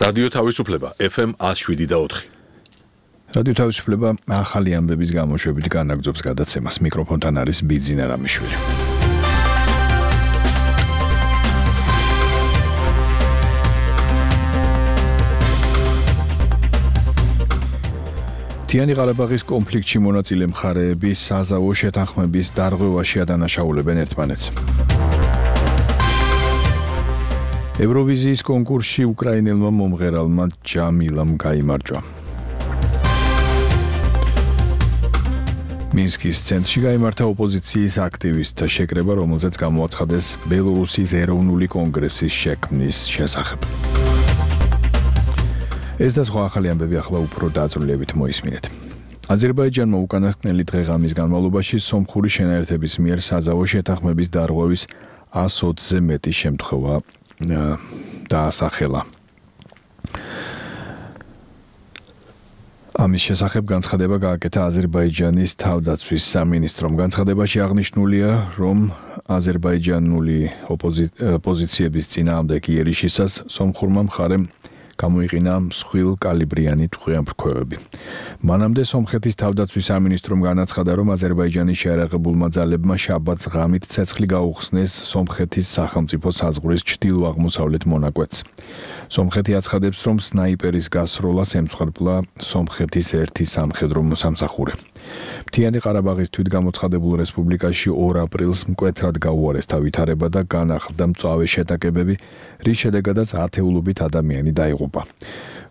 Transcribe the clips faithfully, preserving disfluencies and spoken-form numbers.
რადიო თავისუფლება ეფ ემ one oh seven point four. რადიო თავისუფლება ახალი ამბების გამოშვებით განაგრძობს გადაცემას. მიკროფონთან არის ბიძინა რამიშვილი. მთიანი ყარაბაღის კონფლიქტში მონაწილე მხარეები საზავო შეთანხმების დარღვევაში ადანაშაულებენ ერთმანეთს. ევროვიზიის კონკურსში უკრაინელმა მომღერალმა ჯამილამ გაიმარჯვა. მინსკის ცენტრში გაიმართა ოპოზიციის აქტივისტთა შეკრება, რომელზეც გამოაცხადეს ბელორუსიის ეროვნული კონგრესის შექმნის შესახებ. ეს და სხვა ახალი ამბები ახლა უფრო დაწვრილებით მოისმინეთ. აზერბაიჯანმა უკანასკნელი დღე-ღამის განმავლობაში სომხური შენაერთების მიერ საზავო შეთანხმების დარღვევის one hundred ზე მეტი შემთხვევა დაასახელა. ამის შესახებ განცხადება გააკეთა აზერბაიჯანის თავდაცვის სამინისტრომ. განცხადებაში აღნიშნულია, რომ აზერბაიჯანული ოპოზიციების წინააღმდეგ იერიშისას სომხურმა მხარემ გამოიყენა მსხვილ კალიბრიანი ტყვეამფრქვევები. მანამდე სომხეთის თავდაცვის სამინისტრომ განაცხადა, რომ აზერბაიჯანის შეიარაღებულმა ძალებმა შაბათს ღამით ცეცხლი გაუხსნეს სომხეთის სახელმწიფო საზღვრის ჩრდილო-აღმოსავლეთ მონაკვეთს. სომხეთი აცხადებს, რომ სნაიპერის გასროლას ემსხვერპლა სომხეთის ერთი სამხედრო მოსამსახურე. მთიანი ყარაბაღის თვითგამოცხადებულ რესპუბლიკაში ორ აპრილს მკვეთრად გაუარესდა ვითარება და განახლდა მწვავე შეტაკებები, რის შედეგადაც ათეულობით ადამიანი დაიღუპა.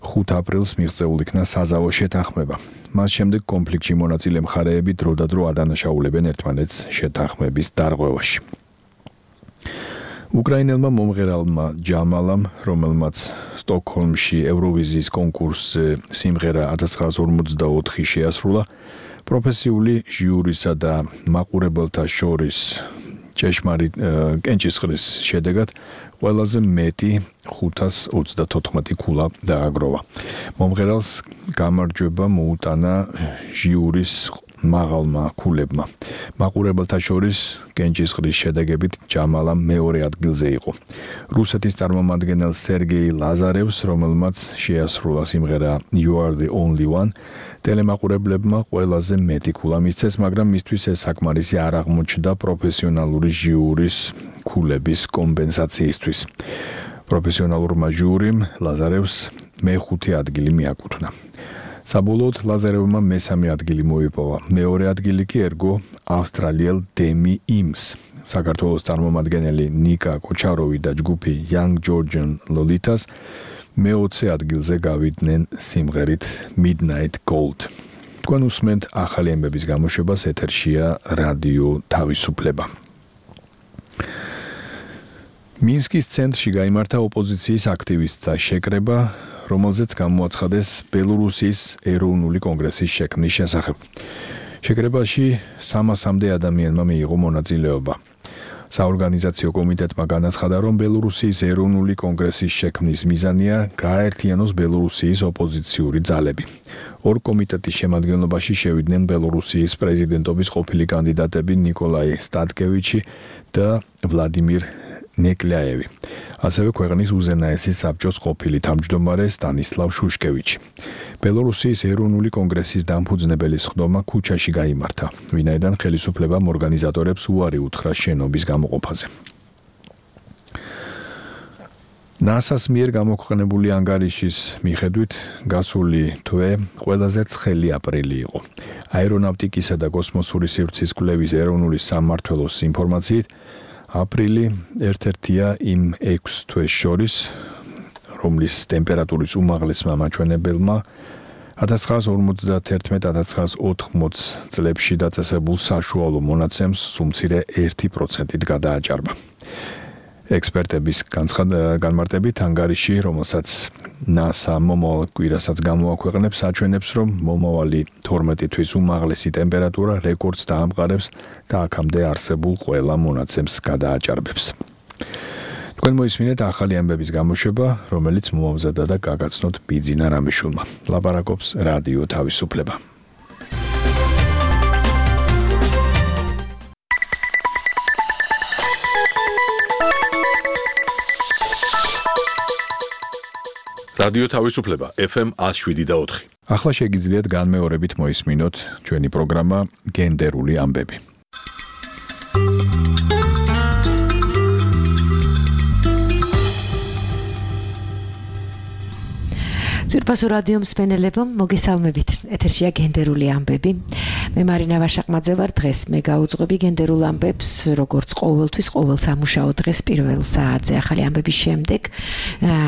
ხუთ აპრილს მიღწეულ იქნა საზავო შეთანხმება. მას შემდეგ კონფლიქტში მონაწილე მხარეები დროდადრო ადანაშაულებენ ერთმანეთს შეთანხმების დარღვევაში. უკრაინელმა მომღერალმა ჯამალამ, რომელმაც სტოკჰოლმში ევროვიზიის კონკურსზე სიმღერა one thousand nine hundred forty-ოთხი შეასრულა, პროფესიული ჟიურისა და მაყურებელთა შორის ჭეშმარიტ კენჭისყრის შედეგად ყველაზე მეტი ხუთას ოცდათოთხმეტი ქულა დააგროვა. მომღერალს გამარჯვება მოუტანა ჟიურის მაღალმა ქულებმა. მაყურებელთა შორის კენჭისყრის შედეგებით ჯამალა მეორე ადგილზე იყო. რუსეთის წარმომადგენელ სერგეი ლაზარევს, რომელმაც შეასრულა სიმღერა You are the only one, ტელემაყურებლებმა ყველაზე მეტი ქულა მისცეს, მაგრამ მისთვის ეს საკმარისი არ აღმოჩნდა პროფესიონალური ჟიურის ქულების კომპენსაციისთვის. პროფესიონალურმა ჟიურიმ ლაზარევს მეხუთე ადგილი მიაკუთვნა. საბოლოოდ ლაზარევმა მესამე ადგილი მოიპოვა. მეორე ადგილი კი ერგო ავსტრალიელ დემი იმს. საქართველოს წარმომადგენელი ნიკა კოჩაროვი და ჯგუფი Young Georgian Lolitas მეოცე ადგილზე გავიდნენ სიმღერით Midnight Gold. თქვენ უსმენთ ახალი ამბების გამოშვებას, ეთერშია რადიო თავისუფლება. მინსკის ცენტრში გაიმართა ოპოზიციის აქტივისტთა შეკრება, რომელზეც გამოაცხადეს ბელორუსიის ეროვნული კონგრესის შექმნის შესახებ. შეკრებაში სამასამდე ადამიანმა მიიღო მონაწილეობა. საორგანიზაციო კომიტეტმა განაცხადა, რომ ბელორუსიის ეროვნული კონგრესის შექმნის მიზანია გააერთიანოს ბელორუსიის ოპოზიციური ძალები. ორ კომიტეტის შემადგენლობაში შევიდნენ ბელორუსიის პრეზიდენტობის ყოფილი კანდიდატები ნიკოლაი სტატკევიჩი და ვლადიმირ ნეკლიაევი. ასევე ქვეყნის უზენაესი საბჭოს ყოფილი თავმჯდომარე სტანისლავ შუშკევიჩი. ბელორუსიის ეროვნული კონგრესის დამფუძნებელი სხდომა ქუჩაში გაიმართა, ვინაიდან ხელისუფლებამ ორგანიზატორებს უარი უთხრა შენობის გამოყოფაზე. ნასას მიერ გამოქვეყნებული ანგარიშის მიხედვით გასული თვე ყველაზე ცხელი აპრილი იყო. აერონავტიკისა და კოსმოსური სივრცის კვლევის ეროვნული სამმართველოს ინფორმაციით, აპრილი ერთ-ერთია იმ ექვს თვეს შორის, რომლის ტემპერატურის უმაღლესმა მაჩვენებელმა one thousand nine hundred forty-one one thousand nine hundred eighty წლებში დაწესებულ საშუალო მონაცემს სულ-მცირე ერთი პროცენტით გადააჭარბა. ექსპერტების განმარტებით ანგარიში, რომელსაც ნასა მომავალ კვირასაც გამოაქვეყნებს, აჩვენებს, რომ მომავალი თორმეტი თვის უმაღლესი ტემპერატურა რეკორდს დაამყარებს და აქამდე არსებულ ყველა მონაცემს გადააჭარბებს. თქვენ მოისმინეთ ახალი ამბების გამოშვება, რომელიც მოამზადა და გაგაცნოთ ბიძინა რამიშვილმა. ლაპარაკობს რადიო თავისუფლება. რადიო თავისუფლება ეფ ემ one oh seven point four. ახლა შეგიძლიათ განმეორებით მოისმინოთ ჩვენი პროგრამა გენდერული ამბები. ძვირფასო რადიო მსმენელებო, მოგესალმებით. ეთერშია გენდერული ამბები. მე მარინა ვაშაყმაძე ვარ. დღეს მე გავუძღვები გენდერულ ამბებს, როგორც ყოველთვის, ყოველ სამუშაო დღეს პირველ საათზე. ახალი ამბების შემდეგ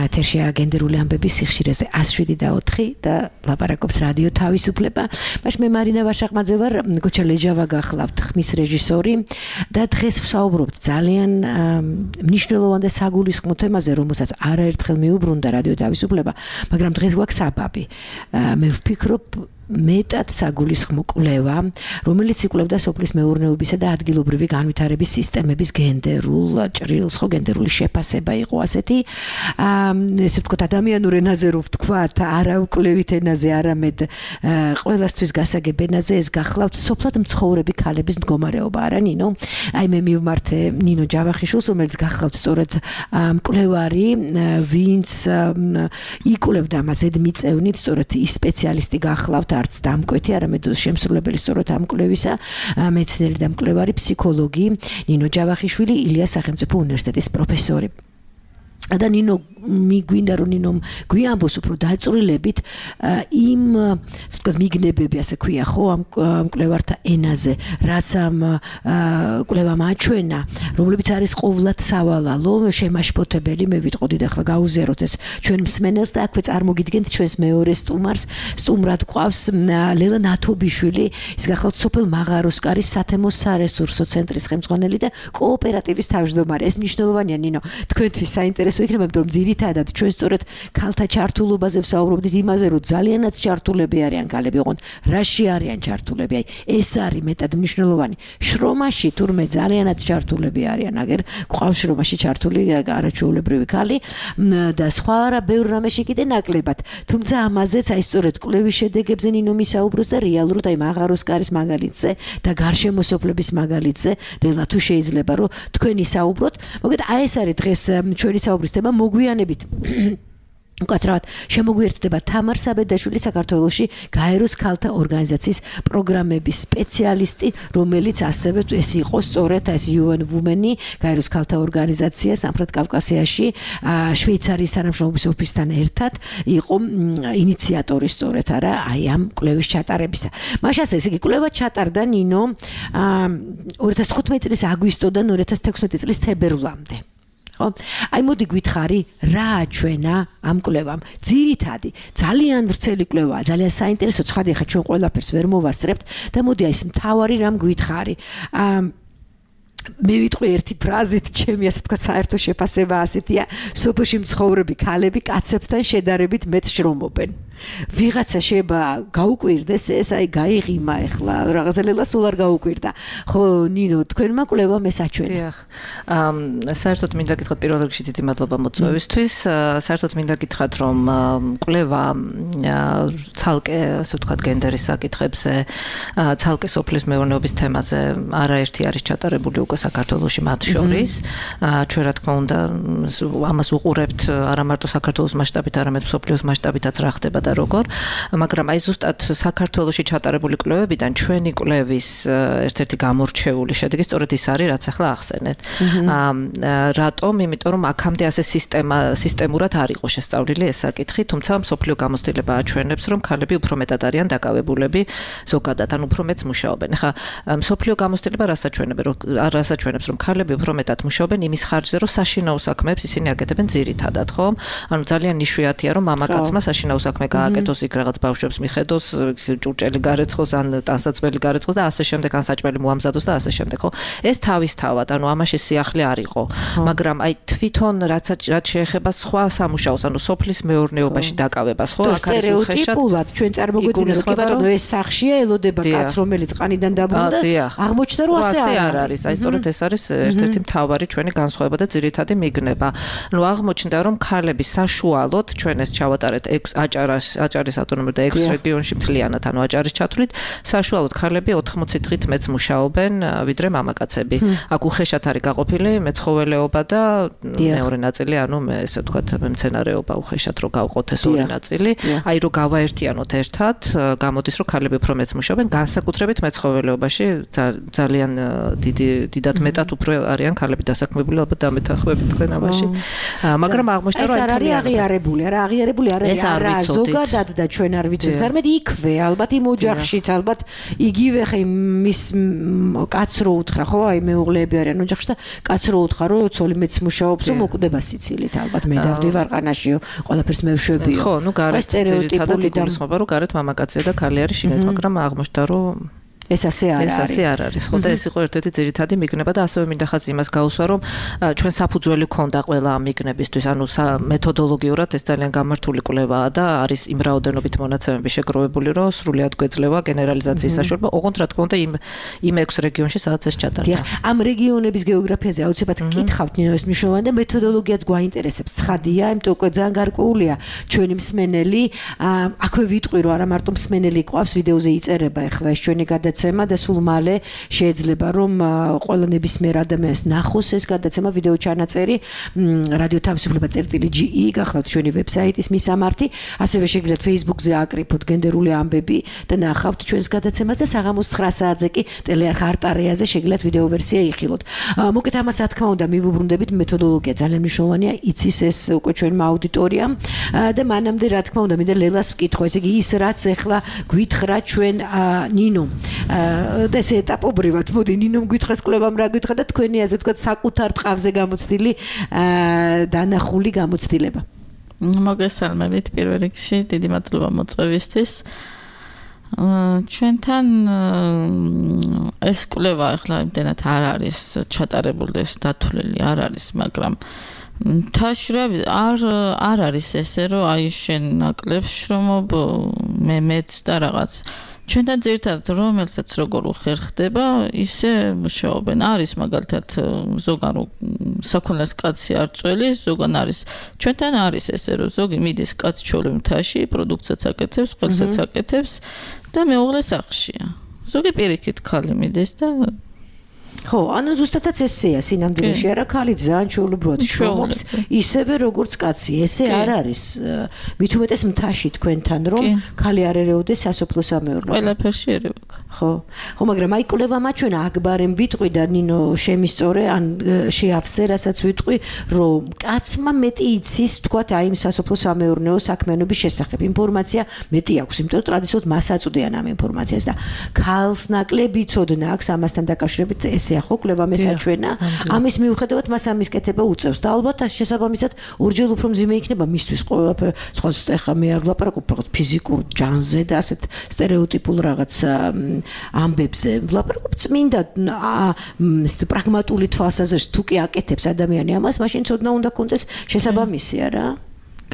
ეთერშია გენდერული ამბების სიხშირეზე one oh seven point four და ლაპარაკობს რადიო თავისუფლება. მაშინ მე მარინა ვაშაყმაძე ვარ, გოჩა ლეჯავა გახლავთ, ხმის რეჟისორი და დღეს ვსაუბრობთ ძალიან მნიშვნელოვან და საგულისხმო თემაზე, რომელსაც არაერთხელ მიუბრუნდა რადიო თავისუფლება, მაგრამ დღეს გვაქვს საბაბი. მე ვფიქრობ მეტად საგულისხმო კვლევა, რომელიც იკვლევდა სოფლის მეურნეობისა და ადგილობრივი განვითარების სისტემების გენდერულ ჭრილს, ხო გენდერული შეფასება იყო ასეთი, ესე ვთქვათ, ადამიანურ ენაზე რო ვთქვათ, არა უკვლევით ენაზე, არამედ ყველასთვის გასაგებ ენაზე, ეს გახლავთ სოფლად მცხოვრები ქალების მდგომარეობა, არა ნინო? აი მე მივმართე ნინო ჯავახიშვილს, რომელიც გახლავთ სწორედ მკვლევარი, ვინც იკვლევდა მას ზედმიწევნით, სწორედ ის სპეციალისტი გახლავთ არც დამკვეთი, არამედ შემსრულებელი სწორად ამ კვლევისა, მეცნიერი და მკვლევარი ფსიქოლოგი ნინო ჯავახიშვილი, ილიას სახელმწიფო უნივერსიტეტის პროფესორი. და ნინო მიგვინდა რომ ნინომ გვიამბოს უფრო დაწვრილებით იმ ვთქვათ მიგნებები, ასე ქვია ხო, ამ მკვლევართა ენაზე, რაც ამ კვლევამ აჩვენა, რომლებიც არის ყოვლად სავალალო, შემაშფოთებელი. მე ვიტყოდი და ახლა გაუზიაროთ ეს ჩვენ მსმენელს და აქვე წარმოგიდგენთ ჩვენს მეორე სტუმარს. სტუმრად გვყავს ლელა ნათობიშვილი, ის გახლავთ სოფელ მაღაროსკარის სათემო სარესურსო ცენტრის ხელმძღვანელი და კოოპერატივის თავმჯდომარე. ეს მნიშვნელოვანია ნინო, თქვენთვის საინტერესო იქნება, იმიტომ რომ ძირითადად ჩვენ სწორედ ქალთა ჩართულობაზე ვსაუბრობდით, იმაზე რომ ძალიანაც ჩართულები არიან ქალები, ოღონდ რაში არიან ჩართულები, აი ეს არის მეტად მნიშვნელოვანი. შრომაში თურმე ძალიანაც ჩართულები არიან, აგერ გვყავს შრომაში ჩართული არაჩვეულებრივი ქალი და სხვა რა ბევრ რამეში კიდე ნაკლებად. თუმცა ამაზეც აი სწორედ კვლევის შედეგებზე ნინო მისაუბროს და რეალურად აი მაღაროსკარის მაგალითზე და გარშემოსოფლების მაგალითზე, რელა თუ შეიძლება რომ თქვენი საუბროთ. მოგეთ აი ეს არის დღეს ჩვენი საუბრის თემა. მოგვიანებით უკაცრავად შემოგვიერთდება თამარ საბედაშვილი, საქართველოში გაეროს ქალთა ორგანიზაციის პროგრამების სპეციალისტი, რომელიც ასევე ეს იყო სწორედ ეს იუ ენ Women-ი, გაეროს ქალთა ორგანიზაცია სამხრეთ კავკასიაში შვეიცარიის თანამშრომლობის ოფისთან ერთად იყო ინიციატორი სწორედ არა აი ამ კვლევის ჩატარებისა. მაშასე ეს იგი კვლევა ჩატარდა ნინო ორი ათას თხუთმეტი წლის აგვისტოდან ორი ათას თექვსმეტი წლის თებერვლამდე. აი მოდი გითხარი რა აჩვენა ამ კვლევამ. ძირითადი ძალიან ვრცელი კვლევაა, ძალიან საინტერესო, ცხადი ხა ჩვენ ყველაფერს ვერ მოვასწრებთ და მოდი აი ეს მთავარი რამ გითხარი. მე ვიტყვი ერთი ფრაზით, ჩემი ასე ვთქვათ საერთო შეფასება ასეთია, სოფელში მცხოვრები ქალები კაცებთან შედარებით მეტ შრომობენ. ვიღაცა შეიძლება გაუკვირდეს ეს, აი გაიღიმა ახლა რაღაცა ლელა სულ არ გაუკვირდა. ხო ნინო, თქვენმა კვლევამ ეს აჩვენა. დიახ. საერთოდ მინდა გითხრათ პირველ რიგში დიდი მადლობა მოწვევისთვის. საერთოდ მინდა გითხრათ რომ კვლევა ცალკე ასე ვთქვათ გენდერის საკითხებზე, ცალკე სოფლის მეურნეობის თემაზე არაერთი არის ჩატარებული უკვე საქართველოში მათ შორის. ჩვენ რა თქმა უნდა ამას უყურებთ არა მარტო საქართველოს მასშტაბით, არამედ მსოფლიოს მასშტაბითაც რა ხდება და როგორ, მაგრამ აი ზუსტად საქართველოში ჩატარებული კვლევებიდან ჩვენი კვლევის ერთ-ერთი გამორჩეული შედეგი სწორედ ის არის, რაც ახლა ახსენეთ. რატომ? იმიტომ რომ აქამდე ასე სისტემა სისტემურად არ იყო შესწავლილი ეს საკითხი, თუმცა მსოფლიო გამოცდილება აჩვენებს, რომ ქალები უფრო მეტად არიან დაკავებულები ზოგადად, ან უფრო მეტს მუშაობენ. ახლა მსოფლიო გამოცდილება რას აჩვენებს, რომ რას აჩვენებს, რომ ქალები უფრო მეტად მუშაობენ იმის ხარჯზე, რომ საშინაო საქმეებს ისინი აკეთებენ ძირითადად, ხო? ანუ ძალიან იშვიათია, რომ მამაკაცმა საშინაო საქმე გააკეთოს, იქ რაღაც ბავშვებს მიხედოს, ჭურჭელი გარეცხოს, ან ტანსაცმელი გარეცხოს და ასე შემდეგ, ან საჭმელი მოამზადოს და ასე შემდეგ, ხო? ეს თავისთავად, ანუ ამაში სიახლე არ იყო, მაგრამ აი თვითონ რაც რაც შეეხება სხვა სამუშაოს, ანუ სოფლის მეურნეობაში დაკავებას, ხო? აქ არის უხეშად სტერეოტიპულად ჩვენ წარმოგვიდგინეთ, რომ კი ბატონო ეს სახშია, ელოდება კაცს, რომელიც ყანიდან დაბრუნდა, აღმოჩნდა რომ ასე არ არის. აი სწორედ ეს არის ერთ-ერთი მთავარი ჩვენი განსხვავება და ძირითადი მიგნება. ნუ აღმოჩნდა რომ ქალები საშუალოდ ჩვენ ეს ჩავატარეთ ექვს აჭარას აჭარის ავტონომურ და ექვს რეგიონში მთლიანად, ანუ აჭარის ჩათვლით, საშუალოდ ქალები ოთხმოცი დღით მეც მუშაობენ, ვიდრე მამაკაცები. აქ უხეშად არის გაყოფილი მეცხოველეობა და მეორე ნაწილი, ანუ მე ესე ვთქვათ, მემცენარეობა უხეშად რო გავყოთ ეს ორი ნაწილი. აი რო გავაერთიანოთ ერთად, გამოდის რომ ქალები უფრო მეც მუშაობენ, განსაკუთრებით მეცხოველეობაში ძალიან დიდი დიდად მეტად უფრო არიან ქალები დასაქმებული, ალბათ დამეთანხმებით თქვენ ამაში. მაგრამ აღმოჩნდა რომ ეს არ არის აღიარებული, არა აღიარებული არ არის არა ზოგადად და ჩვენ არ ვიცით. თარმედ იქვე, ალბათ იმ ოჯახშიც, ალბათ იგივე ხე მის კაც რო უთხრა, ხო, აი მეუღლეები არიან ოჯახში და კაც რო უთხრა, რომ ცოლი მეც მუშაობს, რომ მოკვდება სიცილით, ალბათ მე დავდივარ ყანაშიო, ყველაფერს მევშვებიო. ხო, ნუ გარეთ ძირითადად იგულისხმება, რომ გარეთ მამაკაცია და ქალი არის შინეთ, მაგრამ აღმოჩნდა რომ ეს ასე არ არის. ეს ასე არ არის. ხო და ეს იყო ერთ-ერთი ძირითადი მიგნება და ასევე მინდა ხაზი იმას გაუსვა, რომ ჩვენ საფუძველი ქონდა ყველა ამ მიგნებისთვის, ანუ მეთოდოლოგიურად ეს ძალიან გამართული კვლევაა და არის იმ რაოდენობით მონაცემები შეგროვებული, რომ სრულად გვეძლევა გენერალიზაციის საშუალება, ოღონდ რა თქმა უნდა იმ იმ ექვს რეგიონში სადაც ეს ჩატარდა. ამ რეგიონების გეოგრაფიაზე აუცილებლად გკითხავთ, ნინო, ეს მნიშვნელოვანი და მეთოდოლოგიაც გვაინტერესებს. ცხადია, იმიტომ უკვე ძალიან გარკვეულია ჩვენი მსმენელი. აქვე ვიტყვი, რომ არა მარტო მსმენელი ყავს, ვიდეოზე იწერება ახლა ეს ჩვენი გადაცემა და სულ მალე შეიძლება რომ ყველა ნებისმიერ ადამიანს ნახოს ეს გადაცემა ვიდეო ჩანაწერი რადიო თავისუფლება წერტილი ჯი ი გახლავთ ჩვენი ვებსაიტის მისამართი, ასევე შეგიძლიათ Facebook-ზე აკრიფოთ გენდერული ამბები და ნახავთ ჩვენს გადაცემას და საღამოს ცხრა საათზე კი ტელეარხ არტარეაზე შეგიძლიათ ვიდეო ვერსია იხილოთ. მოკეთ ამას რა თქმა უნდა მივუბრუნდებით, მეთოდოლოგია ძალიან მნიშვნელოვანია, იცის ეს უკვე ჩვენმა აუდიტორიამ და მანამდე რა თქმა უნდა მინდა ლელას ვკითხო, ესე იგი ის რაც ახლა გვითხრა ჩვენ ნინო და ეს ეტაპობრივად მოდი ნინომ გითხრას კვლევამ რა გითხრა და თქვენი ასე თქვა საკუთარ ტყავზე გამოცდილი დანახული გამოცდილება. მოგესალმებით პირველ რიგში, დიდი მადლობა მოწვევისთვის. ჩვენთან ეს კვლევა ახლა იმდენად არ არის ჩატარებული და ეს დათვლილი არ არის, მაგრამ თაშრავი არ არ არის ესე რომ აი შენ ნაკლებს შრომობ მე მეც და რაღაც ჩვენთან ძირითადად რომელსაც როგორ უხერხდება ისე მუშაობენ. არის მაგალითად ზოგან საქონლის კაცი არ წველი, ზოგან არის ჩვენთან არის ესე რომ ზოგი მიდის კაც ჩოლი მთაში, პროდუქციაც აკეთებს, ყველსაც აკეთებს და მეუღლე სახლშია. ზოგი პირიქით ქალი მიდის და ხო, ანუ ზუსტადაც ესეა სინამდვილეში, არა ქალი ძალიან ჩვეულებრივად შრომობს, ისევე როგორც კაცი. ესე არ არის. მით უმეტეს მთაში თქვენთან, რომ ქალი არ ერეოდეს სასოფლო-სამეურნეოზე. ყველაფერში ერევა. ხო. ხო, მაგრამ აი კვლევამა ჩვენ აქბარემ ვიტყვი და ნინო შემისწორე, ან შეავსე, რასაც ვიტყვი, რომ კაცმა მეტი იცის, თქვათ, აი იმ სასოფლო-სამეურნეო საქმიანობის შესახებ. ინფორმაცია მეტი აქვს, იმიტომ რომ ტრადიციულად მას აწვდიან ამ ინფორმაციას და ქალს ნაკლები ცოდნა აქვს ამასთან დაკავშირებით. ესეა ხო კვლევა მესაჩვენა. ამის მიუხედავად მას ამის კეთება უწევს და ალბათ შესაბამისად ორჯერ უფრო მძიმე იქნება მისთვის ყველაფერი. სხვა ხა მე არ ვლაპარაკობ რაღაც ფიზიკურ ჯანზე და ასეთ სტერეოტიპულ რაღაც ამბებზე. ვლაპარაკობ წმინდა პრაგმატული თვალსაზრისით თუ კი აკეთებს ადამიანი ამას, მაშინ ცოდნა უნდა კონდეს შესაბამისი არა?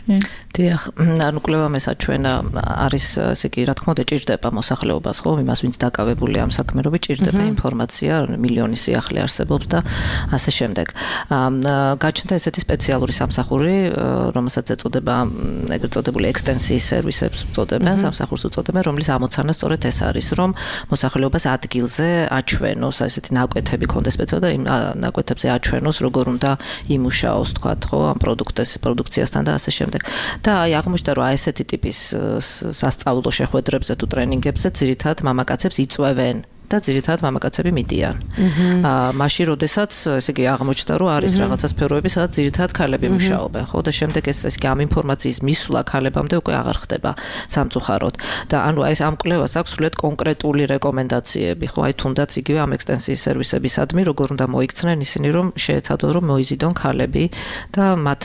დიახ, ანუ კვლევა მესაჩვენა არის, ესე იგი, რა თქმა უნდა, ჭირდება მოსახლეობას, ხო, იმას, ვინც დაკავებული ამ საქმეობით, ჭირდება ინფორმაცია, მილიონი სიახლე არსებობს და ასე შემდეგ. გაჩნდა ესეთი სპეციალური სამსახური, რომელსაც ეწოდება, ეგრეთ წოდებული ექსტენსიის სერვისებს უწოდებენ, სამსახურს უწოდებენ, რომლის ამოცანა სწორედ ეს არის, რომ მოსახლეობას ადგილზე აჩვენოს, ესეთი ნაკვეთები ქონდეს სპეციალურად და იმ ნაკვეთებზე აჩვენოს, როგორ უნდა იმუშაოს, თქვათ, ხო, ამ პროდუქტის პროდუქციასთან და ასე შემდეგ. და აი აღმოჩნდა რომ აი ესეთი ტიპის სასწავლო შეხვედრებზე თუ ტრენინგებზე ძირითადად მამაკაცებს იწვევენ და ძირითადად მამაკაცები მიდიან. აა მაშინ როდესაც ესე იგი აღმოჩნდა რომ არის რაღაცა სფეროები, სადაც ძირითადად ქალები მუშაობენ, ხო და შემდეგ ეს ეს ამ ინფორმაციის მისვლა ქალებამდე უკვე აღარ ხდება სამწუხაროდ. და ანუ აი ეს ამ კვლევას აქვს სრულიად კონკრეტული რეკომენდაციები, ხო, აი თუნდაც იგივე ამ ექსტენსიის სერვისებისადმი, როგორ უნდა მოიქცნენ ისინი, რომ შეეცადონ რომ მოიზიდონ ქალები და მათ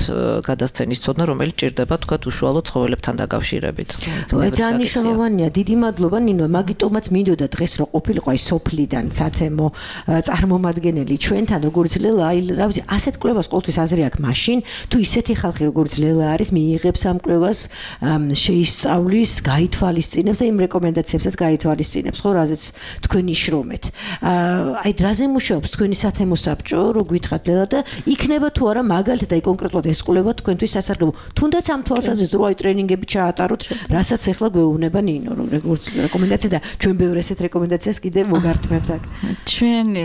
გადასცენის ცოდნა, რომელიც ჭირდება თქვათ უშუალო ცხოველებთან დაკავშირებით. ძალიან მნიშვნელოვანია. დიდი მადლობა ნინო, მაგიტომაც მინდოდა დღეს რომ ყოფილიყო სხვა სოფლიდან სათემო წარმომადგენელი ჩვენთან როგორც ლელა აი რა ვიცი ასეთ კვლევას ყოველთვის აზრი აქვს მაშინ თუ ისეთი ხალხი როგორც ლელა არის მიიღებს ამ კვლევას შეისწავლის გაითვალისწინებს და იმ რეკომენდაციებსაც გაითვალისწინებს ხო რაზეც თქვენ იშრომეთ აი დრაზე მუშაობს თქვენი სათემო საბჭო რო გითხრათ ლელა და იქნება თუ არა მაგალითად აი კონკრეტულად ეს კვლევა თქვენთვის სასარგებლო თუნდაც ამ თვალსაზრისით რო აი ტრენინგები ჩაატაროთ რასაც ახლა გვეუბნება ნინო რომ როგორც რეკომენდაცია და ჩვენ ბევრ ესეთ რეკომენდაციას კიდევ მოგართმევთ აქ ჩვენი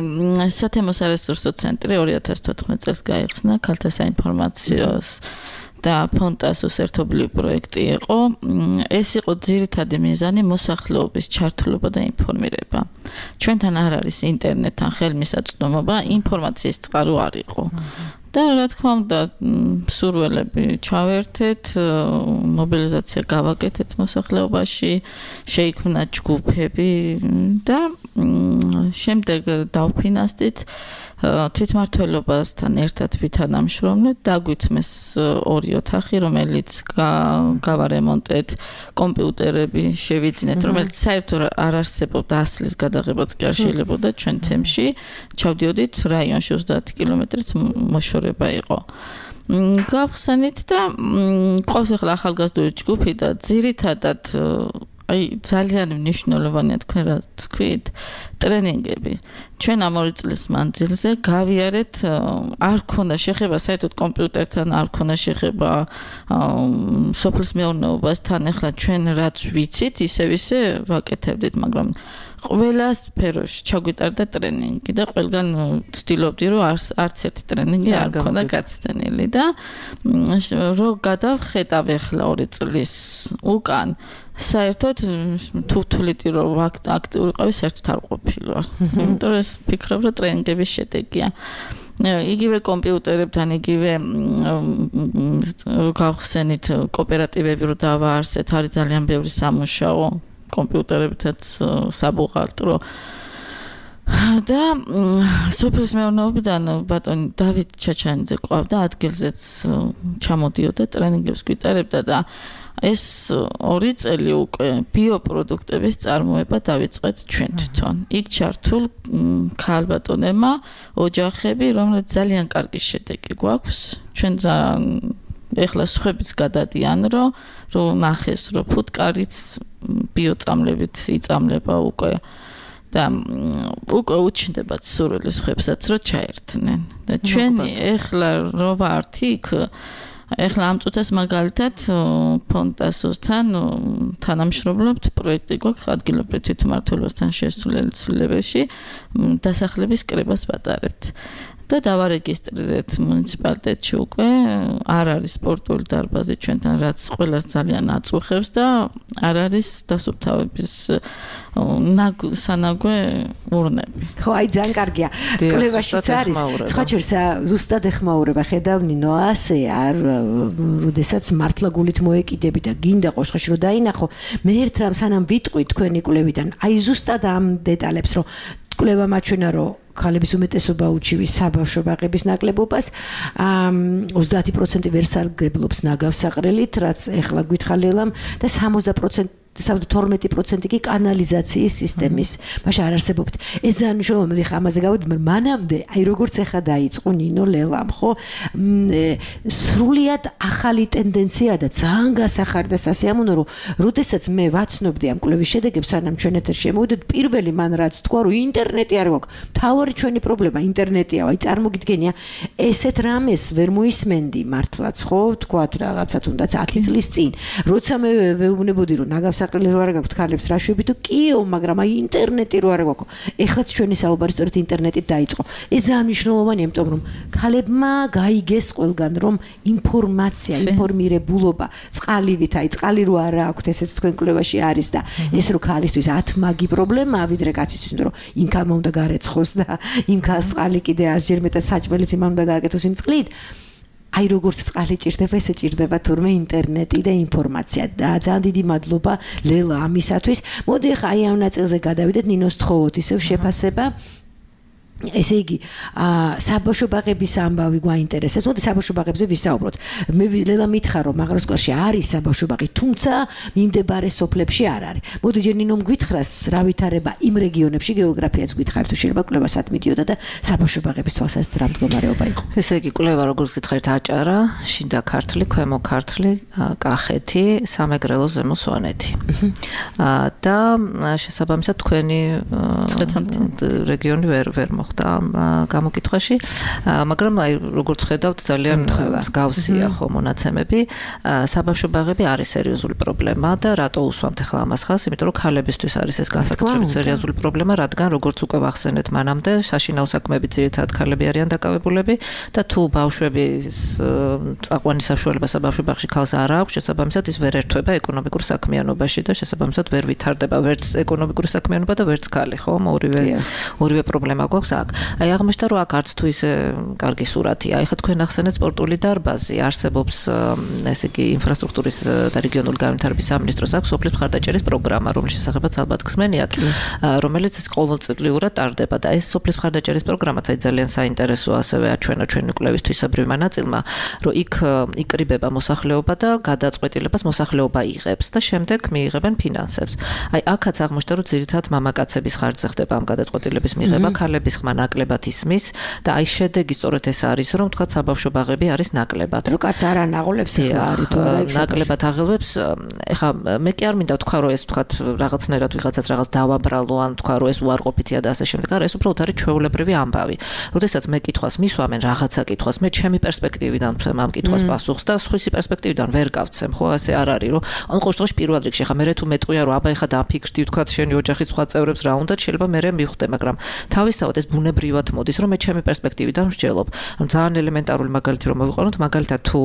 სათემო სარესურსო ცენტრი ორი ათას თოთხმეტ წელს გაიხსნა ქალთა საინფორმაციოს და ფონტასოს ერთობლივი პროექტი იყო ეს იყო ძირითადი მიზანი მოსახლეობის ჩართულობა და ინფორმირება ჩვენთან არ არის ინტერნეტთან ხელმისაწვდომობა ინფორმაციის წყარო არ იყო და რა თქმა უნდა სურველები ჩავერთეთ მობილიზაცია გავაკეთეთ მოსახლეობაში შეიქმნა ჯგუფები და შემდეგ დავფინანსდით თვითმმართველობასთან ერთად ვითანამშრომლეთ დაგვითმეს ორი ოთახი რომელიც გავარემონტეთ კომპიუტერები შევიძინეთ რომელიც საერთოდ არ არსებობდა ასლის გადაღებაც კი არ შეიძლებოდა ჩვენ თემში ჩავდიოდით რაიონში ოცდაათი კილომეტრით მოშორება იყო გავხსენით და ყავს ახლა ახალგაზრდული ჯგუფი და ძირითადად აი ძალიან მნიშვნელოვანია თქვენ რა თქვით ტრენინგები ჩვენ ამ ორი წლის მანძილზე გავიარეთ არ ქონდა შეხება საერთოდ კომპიუტერთან არ ქონდა შეხება სოფლის მეურნეობასთან ახლა ჩვენ რაც ვიცით ისევ ისე ვაკეთებდით მაგრამ ყველა სფეროში ჩაგვიტარდა ტრენინგი და ყველგან ვცდილობდი რომ არც ერთი ტრენინგი არ ქონდა გაცდენილი და რო გადავხედავ ახლა ორი წლის უკან საერთოდ თუ თვლით რომ აქტიური ყავი საერთოდ არ ყოფილვარ იმიტომ რომ ეს ფიქრობ რომ ტრენინგების შედეგია იგივე კომპიუტერებთან იგივე რო გავხსენით კოოპერატივები რო დავაარსეთ არის ძალიან ბევრი სამუშაო კომპიუტერებითაც საბუღალტრო და სოფლის მეურნეობიდან ბატონი დავით ჩაჩანიძე ყავდა ადგილზეც ჩამოდიოდა ტრენინგებს გვიტარებდა და ეს ორი წელი უკვე ბიოპროდუქტების წარმოება დავიწყეთ ჩვენ თვითონ. იქ ჩართულ ქალბატონებმა ოჯახები, რომლებიც ძალიან კარგი შედეგი გვაქვს. ჩვენ ეხლა სხვებიც გადადიან, რომ რომ ნახეს, რომ ფუტკარიც ბიოწამლებით იწამლება უკვე და უკვე უჩნდებათ სურვილი სხვებსაც რომ ჩაერთნენ. და ჩვენი ეხლა რო ვართ იქ ეხლა ამ წუთას მაგალითად ფონტასოსთან თანამშრომლობთ პროექტი გვაქვს ადგილობრივ თვითმმართველობასთან შესულელ ცვლილებებში დასახლების კრებას ვატარებთ და დავარეგისტრირეთ მუნიციპალიტეტში უკვე არ არის სპორტული დარბაზი ჩვენთან რაც ყველას ძალიან აწუხებს და არ არის დასუფთავების სანაგვე ურნები. ხო, აი ძალიან კარგია. კვლევაშიც არის. სხვა შორის ზუსტად ეხმაურება ხედავ ნინო ასე არ როდესაც მართლა გულით მოეკიდები და გინდა ყოშხაში რომ დაინახო მე ერთ რამ სანამ ვიტყვი თქვენი კვლევიდან აი ზუსტად ამ დეტალებს რომ კვლევა მაჩვენა რომ ქალების უმეტესობა უჩივის საბავშვო ბაღების ნაკლებობას ოცდაათი პროცენტი ვერ სარგებლობს ნაგავსაყრელით რაც ეხლა გითხალელამ და სამოცდა პროცენტი თორმეტი პროცენტი კი კანალიზაციის სისტემის მაშინ არ არსებობთ ეს ძალიან მნიშვნელოვანია ხა ამაზე გავდივარ მანამდე აი როგორც ეხა დაიწყო ნინო ლელამ ხო სრულიად ახალი ტენდენცია და ძალიან გასახარი და სასიამოვნო რომ როდესაც მე ვაცნობდი ამ კვლევის შედეგებს სანამ ჩვენ ეთერში შემოვიდეთ პირველი მან რაც თქვა რომ ინტერნეტი არ გვაქვს მთავარი ჩვენი პრობლემა ინტერნეტია აი წარმოგიდგენია ესეთ რამეს ვერ მოისმენდი მართლაც ხო თქვათ რაღაცა თუნდაც ათი წლის წინ როცა მე ვეუბნებოდი რომ ნაგავს საყრელი რო არ გაქვთ ქალებს რა შვები თუ კიო მაგრამ აი ინტერნეტი რო არ გაქვთ ეხლაც ჩვენი საუბარი სწორედ ინტერნეტით დაიწყო ეს ძალიან მნიშვნელოვანია იმიტომ რომ ქალებმა გაიგეს ყველგან რომ ინფორმაცია ინფორმირებულობა წყალივით აი წყალი რო არ აქვთ ესეც თქვენ კვლევაში არის და ეს რო ქალისთვის ათ მაგი პრობლემაა ვიდრე კაცისთვის იმიტომ რომ იმ ქალმა უნდა გარეცხოს და იმ ქალს წყალი კიდე ასჯერ მეტად საჭმელიც იმან უნდა გააკეთოს იმ წყლით აი როგორც წყალი ჭირდება, ესე ჭირდება თურმე ინტერნეტი და ინფორმაცია. და ძალიან დიდი მადლობა ლელა ამისათვის. მოდი ახლა აი ამ ნაწილზე გადავიდეთ ნინოს თხოვოთ ისევ შეფასება. ესე იგი, საბავშვო ბაღების ამბავი გვაინტერესებს. მოდი საბავშვო ბაღებზე ვისაუბროთ. მე ლელა მითხრა რომ მაღაროსკარში არის საბავშვო ბაღი, თუმცა მიმდებარე სოფლებში არ არის. მოდი ჯერ ნინომ გვითხრას რა ვითარება იმ რეგიონებში, გეოგრაფიაც გითხარით, თუ შეიძლება კვლევასად მიდიოდა და საბავშვო ბაღების თვალსაზრისით რა მდგომარეობა იყო. ესე იგი, კვლევა როგორც გითხარით, აჭარა, შიდა ქართლი, ქვემო ქართლი, კახეთი, სამეგრელო, ზემო სვანეთი. და შესაბამისად თქვენი რეგიონი ვერ ვერ და გამოკითხვაში, მაგრამ აი როგორც ხედავთ ძალიან მსგავსია ხო მონაცემები. საბავშვო ბაღები არის სერიოზული პრობლემა და რატო უსვამთ ახლა ამას ხაზს? იმიტომ რომ ქალებისთვის არის ეს განსაკუთრებით სერიოზული პრობლემა, რადგან როგორც უკვე ვახსენეთ მანამდე, საშინაო საქმეებით ძირითადად ქალები არიან დაკავებულები და თუ ბავშვების წაყვანის საშუალება საბავშვო ბაღში ქალს არ აქვს, შესაბამისად ის ვერ ერთვება ეკონომიკურ საქმიანობაში და შესაბამისად ვერ ვითარდება ვერც ეკონომიკური საქმიანობა და ვერც ქალი, ხო? ორივე ორივე პრობლემა გვაქვს. აი აღმოჩნდა რომ აქ არც თუ ისე კარგი სურათია. ეხლა თქვენ ახსენეთ სპორტული დარბაზი, არსებობს ესე იგი ინფრასტრუქტურის და რეგიონული განვითარების სამინისტროს აქვს სოფლის მხარდაჭერის პროგრამა, რომლის შესახებაც ალბათ ხსმენიათ, რომელიც ყოველწლიურად ტარდება და ეს სოფლის მხარდაჭერის პროგრამაც აი ძალიან საინტერესოა ასევე აჩვენა ჩვენი კვლევის თვისებრივმა ნაწილმა, რომ იქ იკრიბება მოსახლეობა და გადაწყვეტილებას მოსახლეობა იღებს და შემდეგ მიიღებენ ფინანსებს. აი აქაც აღმოჩნდა რომ ძირითადად მამაკაცების ხარჯზე ხდება ამ გადაწყვეტილების მიღება, ქალების ხმა ნაკლებად ისმის და აი შედეგი სწორედ ეს არის რომ თქვა საბავშვო ბაღები არის ნაკლებად. რო კაც არ ანაღოლებს ახლა არის თუ არა ნაკლებად აღელვებს. ეხლა მე კი არ მინდა თქვა რომ ეს თქვა რაღაცნაირად ვიღაცას რაღაც დავაბრალო ან თქვა რომ ეს უარყოფითია და ასე შემდეგ. არა, ეს უბრალოდ არის ჩვეულებრივი ამბავი. როდესაც მე კითხვას მისვამენ რაღაცა კითხვას, მე ჩემი პერსპექტივიდან ვცემ ამ კითხვას პასუხს და სხვისი პერსპექტივიდან ვერ გავცემ, ხო ასე არ არის რომ ან ყოველ შემთხვევაში პირველ რიგში ხა მე თუ მეტყვია რომ აბა ეხა დაფიქრდი თქვა შენი ოჯახის სხვა წევრებს რა უნდა შეიძლება მე მივხვდე, მაგრამ თავისთავად ეს ბუნებრივად მოდის რომ მე ჩემი პერსპექტივიდან ვსჯელობ. ანუ ძალიან ელემენტარული მაგალითი რომ მოვიყვანოთ, მაგალითად თუ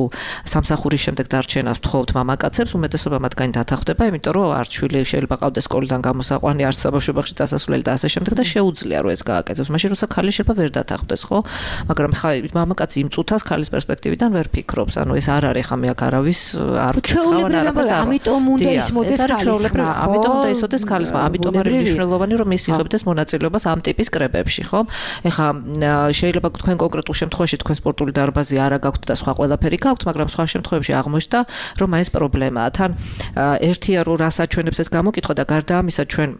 სამსახურის შემდეგ დარჩენას ვთხოვთ მამაკაცებს, უმეტესობა მათგანი დათანხმდება, იმიტომ რომ არც შვილი შეიძლება ყავდეს სკოლიდან გამოსაყვანი, არც საბავშვო ბაღში წასასვლელი და ასე შემდეგ და შეუძლია რომ ეს გააკეთოს. მაშინ როცა ქალი შეიძლება ვერ დათანხმდეს, ხო? მაგრამ ხა მამაკაცი იმ წუთას ქალის პერსპექტივიდან ვერ ფიქრობს. ანუ ეს არ არის ხა მე აქ არავის არ ვკეცავ ან არაფერს არ. ამიტომ უნდა ისმოდეს ქალის ხმა. ამიტომ უნდა ისოდეს ქალის ხმა. ამიტომ არის მნიშვნელოვანი რომ ის იღებდეს მონაწილეობას ამ ტიპის კრებებში, ხო? ეხა შეიძლება თქვენ კონკრეტულ შემთხვევაში თქვენ სპორტული დარბაზი არა გაქვთ და სხვა ყველაფერი გაქვთ, მაგრამ სხვა შემთხვევებში აღმოჩნდა რომ ეს პრობლემაა. თან ერთია რომ რას აჩვენებს ეს გამოკითხვა და გარდა ამისა ჩვენ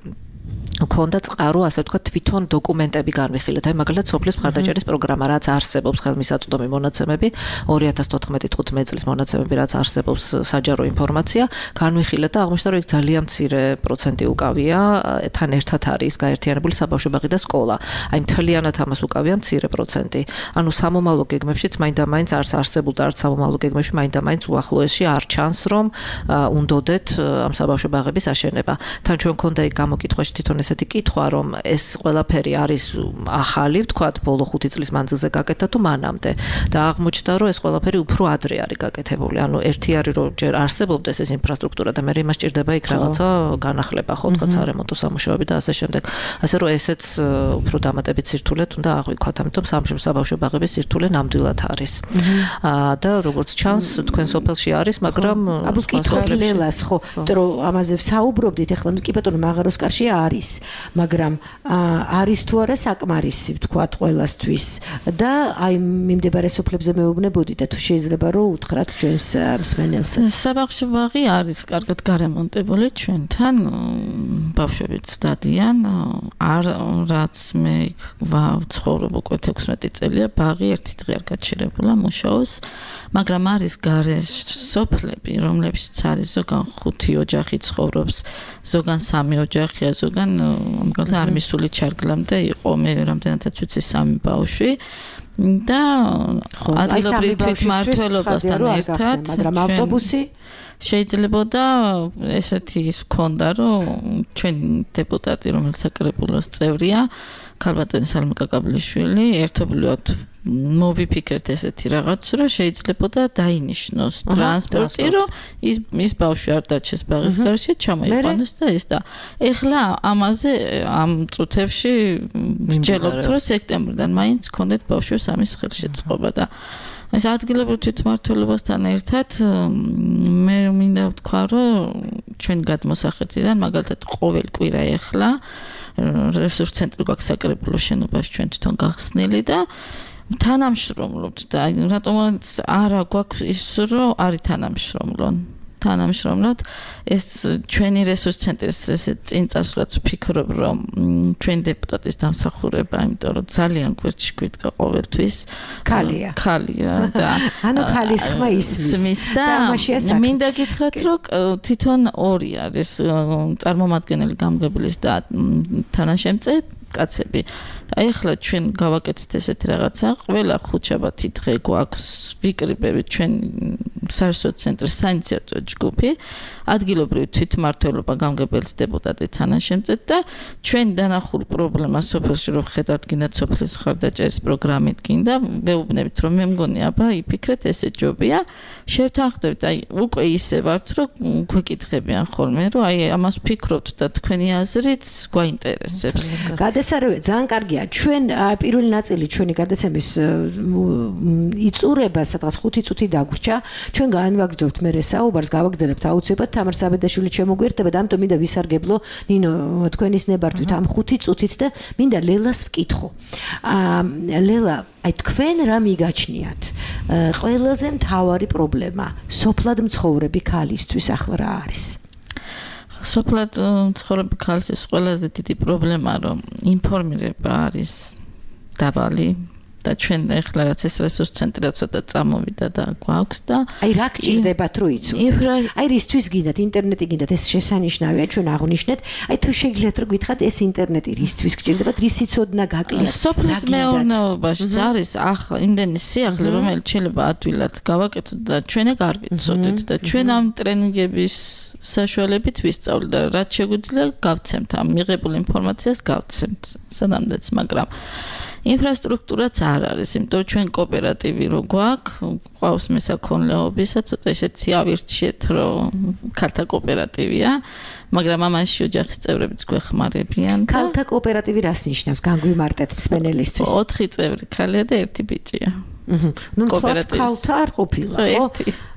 ქონდა წყარო, ასე ვთქვათ, თვითონ დოკუმენტები განვიხილეთ. აი მაგალითად სოფლის მხარდაჭერის პროგრამა, რაც არსებობს ხელმისაწვდომი მონაცემები, ორი ათას თოთხმეტი თხუთმეტი წლის მონაცემები, რაც არსებობს საჯარო ინფორმაცია, განვიხილეთ და აღმოჩნდა, რომ იქ ძალიან მცირე პროცენტი უკავია, თან ერთად არის გაერთიანებული საბავშვო ბაღი და სკოლა. აი მთლიანად ამას უკავია მცირე პროცენტი. ანუ სამომავლო გეგმებშიც მაინდა-მაინც არც არსებულ და არც სამომავლო გეგმებში მაინდა-მაინც უახლოესში არ ჩანს, რომ უნდოდეთ ამ საბავშვო ბაღების აშენება. თან ჩვენ ქონდა იქ გამოკითხვაში თვითონ ესეთი კითხვა, რომ ეს ყველაფერი არის ახალი, ვთქვათ, ბოლო ხუთი წლის მანძილზე გაკეთდა თუ მანამდე და აღმოჩნდა, რომ ეს ყველაფერი უფრო ადრე არის გაკეთებული. ანუ ერთი არის, რომ ჯერ არსებობდეს ეს ინფრასტრუქტურა და მე იმას ჭირდება იქ რაღაცა განახლება, ხო, ვთქვათ, სარემონტო სამუშაოები და ასე შემდეგ. ასე რომ ესეც უფრო დამატებით სირთულედ უნდა აღვიქვათ, ამიტომ საბავშვო ბაღების სირთულე ნამდვილად არის. და როგორც ჩანს, თქვენ სოფელში არის, მაგრამ აბუ კითხვა ლელას, ხო, რომ ამაზე ვსაუბრობდით, ეხლა ნუ კი ბატონო მაღაროსკარში არის, მაგრამ არის თუ არა საკმარისი, ვთქვათ, ყველასთვის და აი მიმდებარე სოფლებზე მეუბნებოდი და თუ შეიძლება რომ უთხრათ ჩვენს მსმენელსაც. საბავშვო ბაღი არის კარგად გარემონტებული ჩვენთან, ბავშვებიც დადიან, არ რაც მე ვცხოვრობ უკვე თექვსმეტი წელია, ბაღი ერთი დღე არ გაჩერებულა მუშაობს, მაგრამ არის გარე სოფლები, რომლებიც არის ზოგან ხუთი ოჯახი ცხოვრობს, ზოგან სამი ოჯახია, ზოგან მაგალითად არ მისული ჩარგლამდე იყო, მე რამდენადაც ვიცი სამი ბავშვი და ადგილობრივ თვითმმართველობასთან ერთად, მაგრამ ავტობუსი შეიძლება და ესეთი ის ქონდა, რომ ჩვენ დეპუტატი, რომელიც საკრებულოს წევრია, ქალბატონი სალმა კაკაბლიშვილი, ერთობლივად მოვიფიქრეთ ესეთი რაღაც, რომ შეიძლება და დაინიშნოს ტრანსპორტი, რომ ის ის ბავშვი არ დაჩეს ბაღის გარშე, ჩამოიყვანოს და ეს და ეხლა ამაზე ამ წუთებში ვსჯელობთ, რომ სექტემბრიდან მაინც გქონდეთ ბავშვებს ამის ხელშეწყობა და ეს ადგილობრივ თვითმმართველობასთან ერთად მე მინდა ვთქვა, რომ ჩვენ გადმოსახეთიდან მაგალითად ყოველ კვირა ეხლა რესურს ცენტრი გვაქვს საკრებულო შენობაში ჩვენ თვითონ გახსნილი და თანამშრომლობთ და რატომაც არა გვაქვს ის რომ არის თანამშრომლონ თანამშრომლობთ ეს ჩვენი რესურს ცენტრის ესე წინ წასვლაც ვფიქრობ რომ ჩვენი დეპუტატის დამსახურება იმიტომ რომ ძალიან გვერდში გვიდგა ყოველთვის ქალია ქალია და ანუ ქალის ხმა ისმის და მინდა გითხრათ რომ თვითონ ორი არის წარმომადგენელი გამგებლის და თანაშემწე კაცები აი ახლა ჩვენ გავაკეთეთ ესეთი რაღაცა ყველა ხუთშაბათი დღე გვაქვს ვიკრიბებით ჩვენ საერთო ცენტრის საინიციატივო ჯგუფი ადგილობრივი თვითმმართველობა გამგებელს დეპუტატი თანაშემწედ და ჩვენ დანახულ პრობლემას სოფელში რომ ხედავთ გინდათ სოფლის მხარდაჭერის პროგრამით გინდა ვეუბნებით რომ მე მგონი აბა იფიქრეთ ესე ჯობია შევთანხმდებით აი უკვე ისე ვართ რომ გვეკითხებიან ხოლმე რომ აი ამას ვფიქრობთ და თქვენი აზრით გვაინტერესებს გადასარევი ძალიან კარგია ჩვენ პირველი ნაწილი ჩვენი გადაცემის იწურება სადღაც ხუთი წუთი დაგვრჩა ჩვენ განვაგრძობთ მე საუბარს გავაგრძელებთ აუცილებლად თამარ საბედაშვილი შემოგვიერთებათ ამიტომ მინდა ვისარგებლო ნინო თქვენის ნებართვით ამ ხუთი წუთით და მინდა ლელას ვკითხო ლელა აი თქვენ რა მიგაჩნიათ ყველაზე მთავარი პრობლემა სოფლად მცხოვრები ქალისთვის ახლა რა არის სოფლად მცხოვრები ქალისთვის ყველაზე დიდი პრობლემა რომ ინფორმირება არის დაბალი და ჩვენ ახლა რაც ეს რესურს ცენტრი ცოტა წამოვიდა და გვაქვს და აი რა გჭირდებათ რომ იცოდეთ აი რისთვის გინდათ ინტერნეტი გინდათ ეს შესანიშნავია ჩვენ აღნიშნეთ აი თუ შეგიძლიათ რომ გითხრათ ეს ინტერნეტი რისთვის გჭირდებათ რის სიცოდნა გაკლიათ სოფლის მეურნეობაში არის ახლა იმდენი სიახლე რომელიც შეიძლება ადვილად გავაკეთოთ და ჩვენ ეგ არ ვიცოდეთ და ჩვენ ამ ტრენინგების საშუალებით ვისწავლეთ და რაც შეგვიძლია გავცემთ ამ მიღებულ ინფორმაციას გავცემთ სანამდეც მაგრამ ინფრასტრუქტურაც არ არის, იმიტომ ჩვენ კოოპერატივი რო გვაქვს, ყავს მესაქონლეობისა, ცოტა ისეთი ავირჩიეთ, რომ ქალთა კოოპერატივია, მაგრამ ამაში ოჯახის წევრებიც გვეხმარებიან. ქალთა კოოპერატივი რას ნიშნავს? განგვიმარტეთ მსმენელისთვის. ოთხი წევრი ქალია და ერთი ბიჭია. ნუ ქალთა არ ყოფილა, ხო?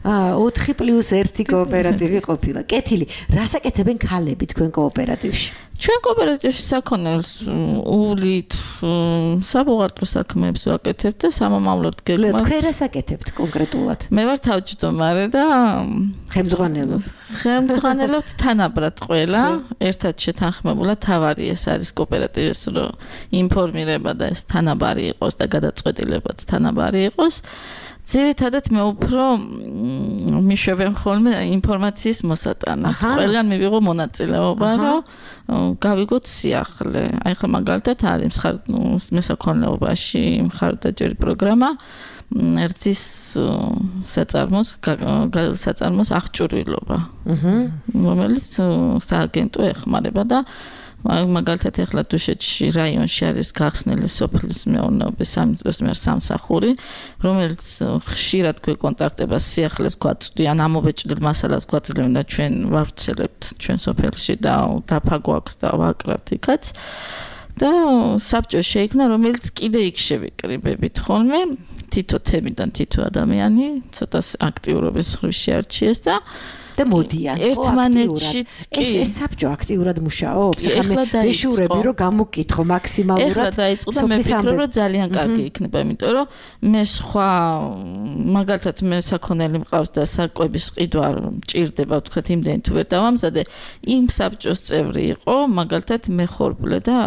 აა ოთხი პლუს ერთი კოოპერატივი ყოფილა. კეთილი, რას აკეთებენ ქალები თქვენ კოოპერატივში? ჩვენ კოოპერატივში საქონელს უვლით საბუღალტრო საქმეებს ვაკეთებთ და სამომავლოდ გეგმავთ. თქვენ რას აკეთებთ კონკრეტულად? მე ვარ თავმჯდომარე და ხელმძღვანელო. ხელმძღვანელობთ თანაბრად ყველა, ერთად შეთანხმებულად თავარი ეს არის კოოპერატივის რო ინფორმირება და ეს თანაბარი იყოს და გადაწყვეტილებაც თანაბარი იყოს. ძირითადად მე უფრო მიშვებენ ხოლმე ინფორმაციის მოსატანად. ყველგან მივიღო მონაწილეობა, რომ გავიგოთ სიახლე. აი ხა მაგალითად არის მესაქონლეობაში მხარდაჭერი პროგრამა ერთის საწარმოს საწარმოს აღჭურვილობა. რომელიც სააგენტო ეხმარება და მაგალითად ახლა დუშეთში რაიონში არის გახსნილი სოფლის მეურნეობის სამსახური, რომელიც ხშირად გვეკონტაქტება სიახლეს გვაწვდიან, ამობეჭდილ მასალას გვაძლევენ და ჩვენ ვავრცელებთ ჩვენ სოფელში და დაფა გვაქვს და ვაკრავთ იქაც. და საბჭო შეიქმნა, რომელიც კიდე იქ შევიკრიბებით ხოლმე, თითო თემიდან თითო ადამიანი, ცოტა აქტიურობის ხრივ შეარჩიეს და და მოდიან ერთმანეთშიც კი ეს ეს საბჭო აქტიურად მუშაობს ახლა მე ვეშურები რომ გამოგკითხო მაქსიმალურად ეხლა დაიწყო და მე ვფიქრობ რომ ძალიან კარგი იქნება იმიტომ რომ მე სხვა მაგალითად მე საქონელი მყავს და საკვების ყიდვა მჭირდება ვთქვათ იმდენი თუ ვერ დავამზადე იმ საბჭოს წევრი იყო მაგალითად მე ხორბლე და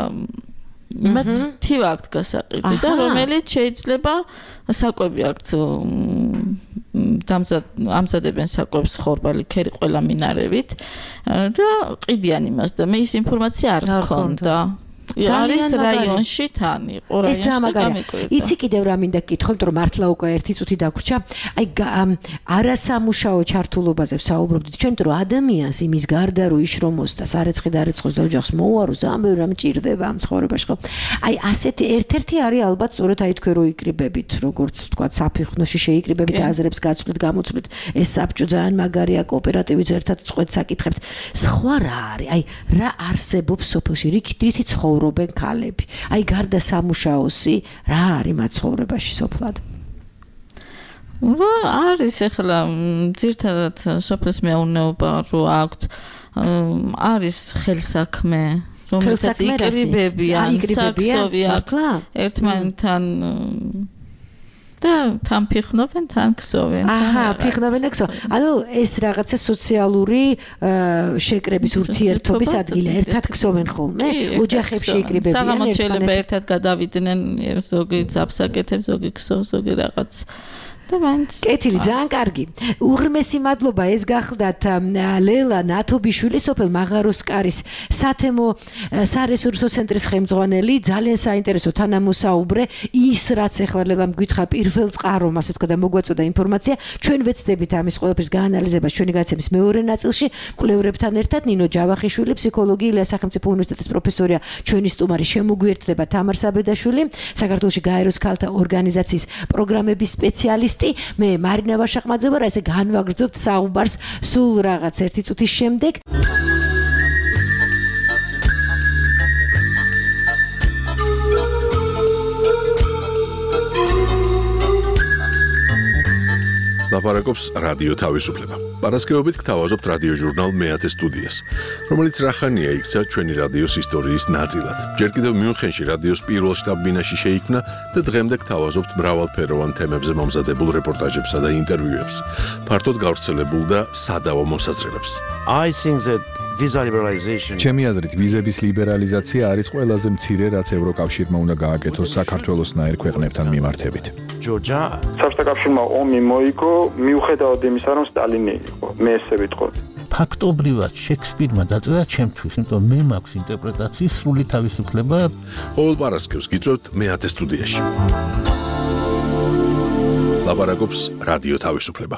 იმათ თივა აქვს გასაყიდი და რომელიც შეიძლება საკვები აქვს ამზადებენ საკვებს ხორბალი ქერი ყველა მინარევით და ყიდიან იმას და მე ის ინფორმაცია არ მქონდა არის რაიონში თან იყო რაიონში იცი კიდევ რა მინდა გკითხო იმიტომ რომ მართლა უკვე ერთი წუთი დაგვრჩა აი არასამუშაო ჩართულობაზე ვსაუბრობდით ჩვენ იმიტომ რომ ადამიანს იმის გარდა რომ იშრომოს და სარეცხი დარეცხოს და ოჯახს მოუაროს ძალიან ბევრი რამ ჭირდება ამ ცხოვრებაში ხო აი ასეთი ერთ-ერთი არის ალბათ სწორედ აი თქვენ რო იკრიბებით როგორც თქვა საფიხნოში შეიკრიბებით აზრებს გაცვლით გამოცვლით ეს საბჭო ძალიან მაგარია კოოპერატივიც ერთად წყვეტს აკითხებთ სხვა რა არის აი რა არსებობს სოფელში რითი ცხოვრობენ ქალები. აი გარდა სამუშაოსი, რა არის მათ ცხოვრებაში სოფლად? არის ახლა ძირთადად სოფლის მეურნეობა რო აქვთ, არის ხელსაქმე, რომელსაც იკრიბებიან, საქსოვიან ერთმანეთთან და თან ფიხნობენ, თან ქსოვენ. აჰა, ფიხნობენ და ქსოვენ. ანუ ეს რაღაცა სოციალური შეკრების ურთიერთობის ადგილია. ერთად ქსოვენ ხოლმე? ოჯახებში იკრიბებიან ერთმანეთს. საღამოს შეიძლება ერთად გადავიდნენ, ზოგი ძაფსაკეთებს, ზოგი ქსოვს, ზოგი რაღაც. და მაინც კეთილი, ძალიან კარგი. უღრმესი მადლობა, ეს გახლდათ ლელა ნათობიშვილი, სოფელ მაღაროსკარის სათემო სარესურსო ცენტრის ხელმძღვანელი, ძალიან საინტერესო თანამოსაუბრე, ის რაც ახლა ლელამ გითხრა პირველ წყარომ, ასე ვთქვა და მოგვაწოდა ინფორმაცია, ჩვენ ვეცდებით ამის ყველაფრის გაანალიზებას ჩვენი გადაცემის მეორე ნაწილში, მკვლევრებთან ერთად ნინო ჯავახიშვილი, ფსიქოლოგი, ილიას სახელმწიფო უნივერსიტეტის პროფესორია, ჩვენი სტუმარი შემოგვიერთდება თამარ საბედაშვილი, საქართველოში გაეროს ქალთა ორგანიზაციის პროგრამების სპეციალისტი. მე მარინა ვაშაყმაძე ვარ, ესე განვაგრძობთ საუბარს სულ რაღაც ერთი წუთის შემდეგ. ლაპარაკობს რადიო თავისუფლება. პარასკევობით გთავაზობთ რადიო ჟურნალ მეათე სტუდიას, რომელიც რახანია იქცა ჩვენი რადიოს ისტორიის ნაწილად. ჯერ კიდევ მიუნხენში რადიოს პირველ შტაბ-ბინაში შეიქმნა და დღემდე გთავაზობთ მრავალფეროვან თემებზე მომზადებულ რეპორტაჟებსა და ინტერვიუებს, ფართოდ გავრცელებულ და სადავო მოსაზრებებს. I think that visa liberalization ჩემი აზრით ვიზების ლიბერალიზაცია არის ყველაზე მცირე, რაც ევროკავშირმა უნდა გააკეთოს საქართველოსნაირ ქვეყნებთან მიმართებით. Georgia საბჭოთა კავშირმა ომი მოიგო მიუხედავად იმისა, რომ სტალინი იყო. მე ესე ვიტყოდი. ფაქტობრივად შექსპირმა დაწერა ჩემთვის, იმიტომ მე მაქვს ინტერპრეტაციის სრული თავისუფლება. ყოველ პარასკევს გიწევთ მეათე სტუდიაში. ლაპარაკობს რადიო თავისუფლება.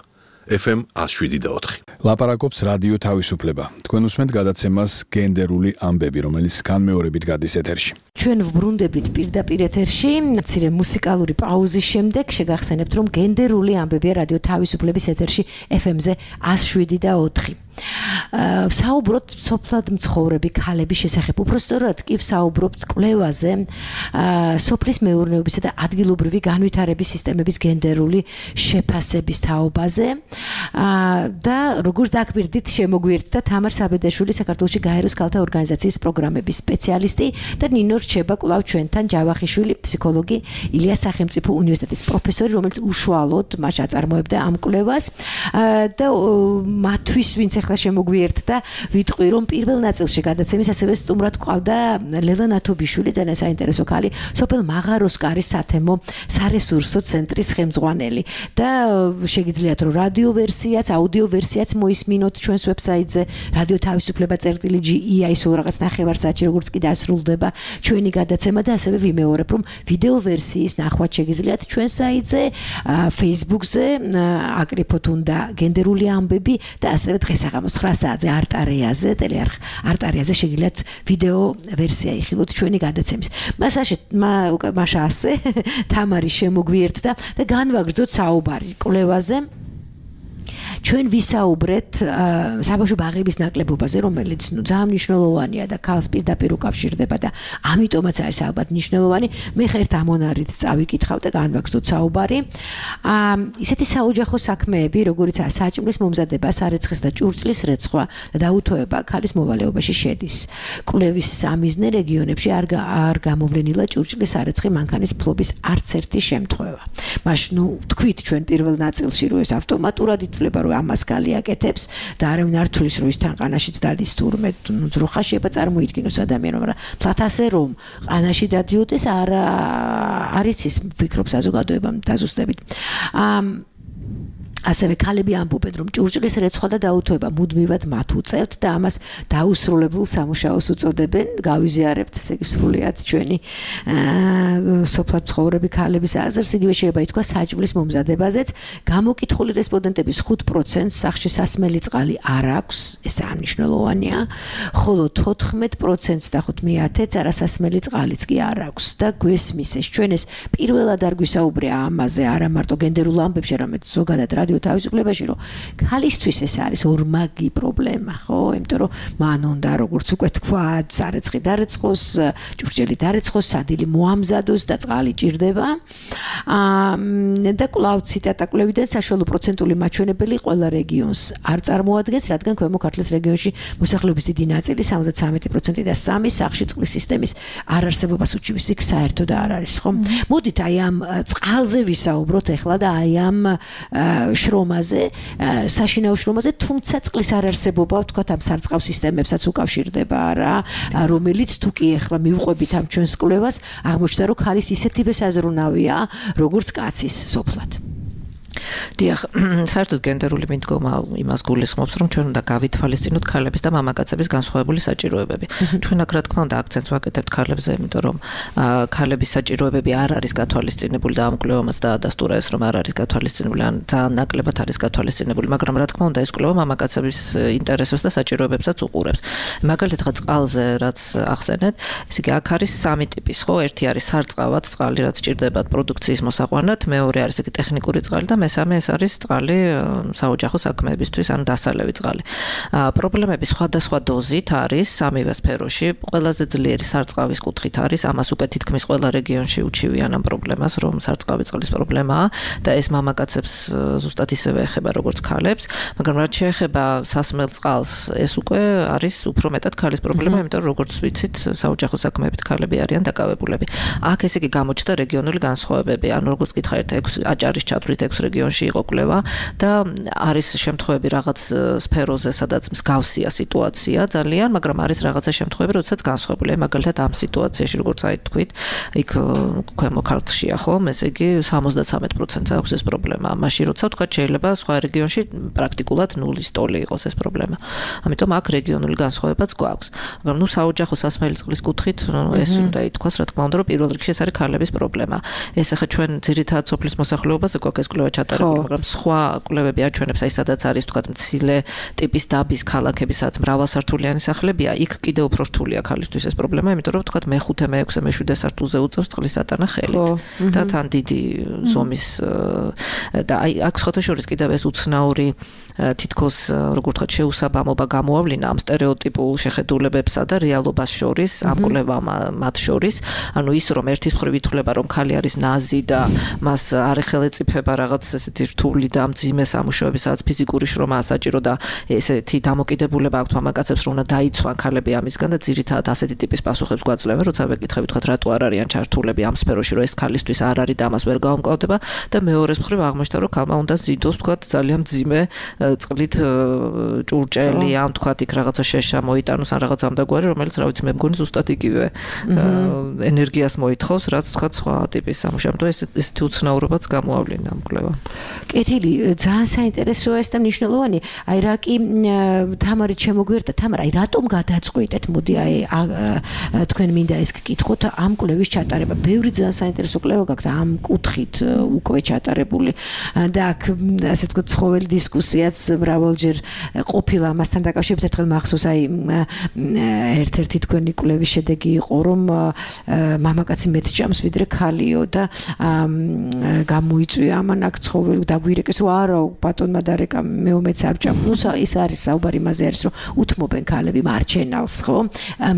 ეფ ემ one oh seven და four. ლაპარაკობს რადიო თავისუფლება. თქვენ უსმენთ გადაცემას გენდერული ამბები, რომელიც განმეორებით გადის ეთერში. ჩვენ ვბრუნდებით პირდაპირ ეთერში, მცირე მუსიკალური პაუზის შემდეგ შეგახსენებთ, რომ გენდერული ამბებია რადიო თავისუფლების ეთერში ეფ ემ-ზე one oh seven და four. საუბრობთ სოფლად მცხოვრები ქალების შესახებ, უпростоრად კი საუბრობთ კვლევაზე, სოფლის მეურნეობისა და ადგილობრივი განვითარების სისტემების გენდერული შეფასების თაობაზე და როგორც დაგვირდით შემოგვიერთდა თამარ საბედაშვილი, საქართველოში გაეროს ქალთა ორგანიზაციის პროგრამების სპეციალისტი და ნინო რჩება კვლავ ჩვენთან ჯავახიშვილი, ფსიქოლოგი, ილიას სახელმწიფო უნივერსიტეტის პროფესორი, რომელიც უშუალოდ მას აწარმოებდა ამ კვლევას და მათთვის ვინც ახლა შემოგვიერთდა, ვიტყვი რომ პირველ ნაწილში გადაცემის ასევე სტუმრად ყავდა ლელა ნათობიშვილი, ძალიან საინტერესო ქალი, სოფელ მაღაროსკარის სათემო სარესურსო ცენტრის ხელმძღვანელი და შეგიძლიათ რომ რადიო ვერსიაც, აუდიო ვერსიაც მოისმინოთ ჩვენს ვებსაიტზე რადიო თავისუფლება წერტილი ჯი ი აი სულ რაღაც ნახევარსაათში როგორც კი დასრულდება ჩვენი გადაცემა და ასევე ვიმეორებ რომ ვიდეო ვერსიის ნახვაც შეგიძლიათ ჩვენ საიტზე, Facebook-ზე, აკრიფოთ უნდა გენდერული ამბები და ასევე დღესაღამოს nine საათზე არტარეაზე, ტელეარხ არტარეაზე შეგიძლიათ ვიდეო ვერსია იხილოთ ჩვენი გადაცემის. მასაშე მაშა ასე თამარი შემოგვიერთდა და განვაგრძოთ საუბარი კვლევაზე. ჩვენ ვისაუბრეთ საბავშვო ბაღების ნაკლებობაზე, რომელიც ნუ ძალიან მნიშვნელოვანია და ქალს პირდაპირ უკავშირდება და ამიტომაც არის ალბათ მნიშვნელოვანი. მე ხერთ ამონარით წავიკითხავ და განვაგრძოთ საუბარი. ისეთი საოჯახო საქმეები, როგორიცაა საჭმლის მომზადება, სარეცხის და ჭურჭლის რეცხვა და დაუთოება ქალის მოვალეობაში შედის. კვლევის სამიზნე რეგიონებში არ არ გამოვლენილა ჭურჭლის სარეცხი მანქანის ფლობის არც ერთი შემთხვევა. მაშ ნუ თქვით ჩვენ პირველ ნაწილში რომ ეს ავტომატურად ითვლება რომ ამას გალიაკეთებს და არავინ არ თulis რომ ის თან ყანაშიც დადის თურმე ძროხა შეიძლება წარმოიდგინოს ადამიანმა, მაგრამ თლათ ასე რომ ყანაში დადიოდეს არ არის ის ვფიქრობ საზოგადოებამ დაზუსტებით. ასევე ქალები ამბობენ რომ ჭურჭლის რეცხვა და დაუთოება მუდმივად მათ უწევთ და ამას დაუსრულებელ სამუშაოს უწოდებენ. გავიზიარებთ ესე იგი სრულიად ჩვენი სოფლად ცხოვრები ქალების აზრს, იგივე შეიძლება ითქვა საჭმლის მომზადებაზეც. გამოკითხული რესპონდენტების five percent სახლში სასმელი წყალი არ აქვს, ეს აღნიშნულოვანია, ხოლო fourteen percent დაახოთ მეათეც არასასმელი წყალიც კი არ აქვს და გვესმის ეს ჩვენ ეს პირველად არ გვისაუბრია ამაზე არა მარტო გენდერულ ამბებში, არამედ ზოგადად რადიო თავისუფლებაში, რომ ქალისთვის ეს არის ორმაგი პრობლემა, ხო? იმიტომ რომ მან უნდა როგორც უკვე თქვა, სარეცხი დარეცხოს, ჭურჭელი დარეცხოს, სადილი მოამზადოს და წყალი ჭირდება. აა და კვლავ ციტატა კვლევიდან საშუალო პროცენტული მაჩვენებელი ყველა რეგიონს არ წარმოადგენს, რადგან ქვემო ქართლის რეგიონში მოსახლეობის დიდი ნაწილი სამოცდა სამი პროცენტი და სამი სახლში წყლის სისტემის არარსებობას უჩივის, იქ საერთოდ არ არის, ხო? მოდით აი ამ წყალზე ვისაუბროთ ახლა და აი ამ შრომაზე, საშინაო შრომაზე, თუმცა წყლის არარსებობა, ვთქვათ, ამ სარწყავ სისტემებსაც უკავშირდება რა, რომელიც თუ კი ახლა მივყვებით ამ ჩვენს კვლევას, აღმოჩნდა, რომ ქალის ისეთივე საზრუნავია, როგორც კაცის სოფლად. დიახ, საერთოდ გენდერული მიდგომა იმას გულისხმობს, რომ ჩვენ უნდა გავითვალისწინოთ ქალების და მამაკაცების განსხვავებული საჭიროებები. ჩვენ აქ რა თქმა უნდა აქცენტს ვაკეთებთ ქალებზე, იმიტომ რომ ქალების საჭიროებები არ არის გათვალისწინებული და ამ კვლევამაც დაადასტურა ეს, რომ არ არის გათვალისწინებული, ან ძალიან ნაკლებად არის გათვალისწინებული, მაგრამ რა თქმა უნდა ეს კვლევა მამაკაცების ინტერესებს და საჭიროებებსაც უყურებს. მაგალითად, ხა წყალზე რაც ახსენეთ, ესე იგი აქ არის სამი ტიპის, ხო? ერთი არის სარწყავად წყალი, რაც ჭირდებათ პროდუქციის მოსაყვანად, მეორე არის იგი ტექნიკური წყალი და მესამე ეს არის წყალი საოჯახო საქმეებისთვის, ანუ დასალევი წყალი. პრობლემები სხვადასხვა დოზით არის სამივე სფეროში. ყველაზე ძლიერი სარწყავის კუთხით არის, ამას უკვე თითქმის ყველა რეგიონში უჩივიან ამ პრობლემას, რომ სარწყავი წყლის პრობლემაა და ეს მამაკაცებს ზუსტად ისევე ეხება როგორც ქალებს, მაგრამ რაც შეეხება სასმელ წყალს, ეს უკვე არის უფრო მეტად ქალის პრობლემა, იმიტომ რომ როგორც ვიცით, საოჯახო საქმეებით ქალები არიან დაკავებულები. აქ ესე იგი გამოჩნდა რეგიონული განსხვავებები, ანუ როგორც გითხარით, ექვსი აჭარის ჩათვლით ექვსი რეგიონში იყო კვლევა და არის შემთხვევები რაღაც სფეროზე, სადაც მსგავსია სიტუაცია ძალიან, მაგრამ არის რაღაცა შემთხვევები, როდესაც განსხვავებულია. მაგალითად ამ სიტუაციაში, როგორც აი თქვით, იქ ქვემო ქართლშია ხომ, ესე იგი სამოცდათრამეტ პროცენტს აქვს ეს პრობლემა. მაშინ როცა თქვა შეიძლება სხვა რეგიონში პრაქტიკულად ნულის ტოლი იყოს ეს პრობლემა. ამიტომ აქ რეგიონული განსხვავებაც გვაქვს. მაგრამ ნუ საოჯახო სასმელი წყლის კუთხით ეს უნდა ითქვას, რა თქმა უნდა, რომ პირველ რიგში ეს არის ქალების პრობლემა. ეს ახლა ჩვენ ძირითადად სოფლის მოსახლეობაზე გვაქვს ეს კვლევა ჩატარებული, მაგრამ სხვა კვლევები აჩვენებს, აი სადაც არის თქვა მცირე ტიპის დაბის ქალაქები, სადაც მრავალსართულიანი სახლებია, იქ კიდევ უფრო რთულია ქალისთვის ეს პრობლემა, იმიტომ რომ თქვა მეხუთე, მეექვსე, მეშვიდე სართულზე უწევს წყლის ატანა ხელით და თან დიდი ზომის და აი აქ სხვათა შორის კიდევ ეს უცნაური თითქოს როგორ ვთქვათ შეუსაბამობა გამოავლინა ამ სტერეოტიპულ შეხედულებებსა და რეალობას შორის, ამ კვლევამ მათ შორის, ანუ ის რომ ერთის მხრივ ითვლება რომ ქალი არის ნაზი და მას არ ეხელეწიფება რაღაც ესეთი რთული და მძიმე სამუშაოები, სადაც ფიზიკური შრომაა საჭირო და ესეთი დამოკიდებულება აქვს მამაკაცებს, რომ უნდა დაიცვან ქალები ამისგან და ძირითადად ასეთი ტიპის პასუხებს გვაძლევენ, როცა ვეკითხებით თქვა რატო არ არიან ჩართულები ამ სფეროში, რომ ეს ქალისთვის არ არის და ამას ვერ გაუმკლავდება და მეორეს მხრივ აღმოჩნდა, რომ ქალმა უნდა ზიდოს თქვა ძალიან მძიმე წყლით ჭურჭელი, ამ თქვა იქ რაღაცა შეშა მოიტანოს ან რაღაც ამდაგვარი, რომელიც რა ვიცი მე მგონი ზუსტად იგივე ენერგიას მოითხოვს, რაც თქვა სხვა ტიპის სამუშაო. ეს ესეთი უცნაურობაც გამოავლინა ამ კვლევამ. კეთილი, ძალიან საინტერესოა ეს და მნიშვნელოვანი. აი რა კი თამარით შემოგვერთა, თამარ, აი რატომ გადაწყვიტეთ? მოდი აი თქვენ მინდა ეს გკითხოთ ამ კვლევის ჩატარება. ბევრი ძალიან საინტერესო კვლევა გაქვთ ამ კუთხით უკვე ჩატარებული და აქ ასე თქვა ცხოველი დისკუსიაც მრავალჯერ ყოფილა ამასთან დაკავშირებით. ერთხელ მახსოვს აი ერთ-ერთი თქვენი კვლევის შედეგი იყო, რომ მამაკაცი მეტ ჭამს ვიდრე ქალიო და გამოიწვია ამან აქ ცხოველი დაგვირეკეს, რომ არა ბატონმა დარეკა მეომეც არ ჭამ. ნუ ის არის საუბარი იმაზე არის, რომ უთმობენ ქალები მარჩენალს, ხო?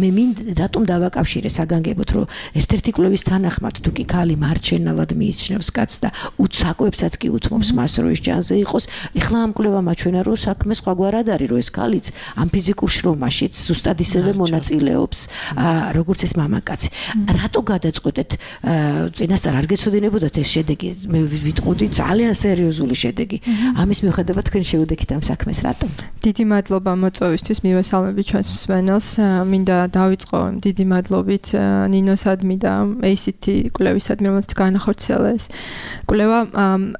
მე მინდა რატომ დავაკავშირე საგანგებოდ, რომ ერთ-ერთი კვლევის თანახმად თუ კი ქალი მარჩენალად მიიჩნევს კაცს და უცაკოებსაც კი უთმობს მას, რომ ის ჯანზე იყოს. ეხლა ამ კვლევამ აჩვენა, რომ საქმე სხვაგვარად არის, რომ ეს ქალიც ამ ფიზიკურ შრომაშიც ზუსტად ისევე მონაწილეობს, როგორც ეს მამაკაცი. რატო გადაწყვეტეთ? წინასწარ არ გეცოდინებოდათ ეს შედეგი? მე ვიტყოდი ძალიან სერიოზული შედეგი. ამის მიუხედავად თქვენ შევუდექით ამ საქმეს, რატომ? დიდი მადლობა მოწვევისთვის, მივესალმები ჩვენს მსმენელს. მინდა დავიწყო დიდი მადლობით ნინოსადმი და ეი სი τι კვლევისადმი, რომელიც განახორციელა ეს კვლევა.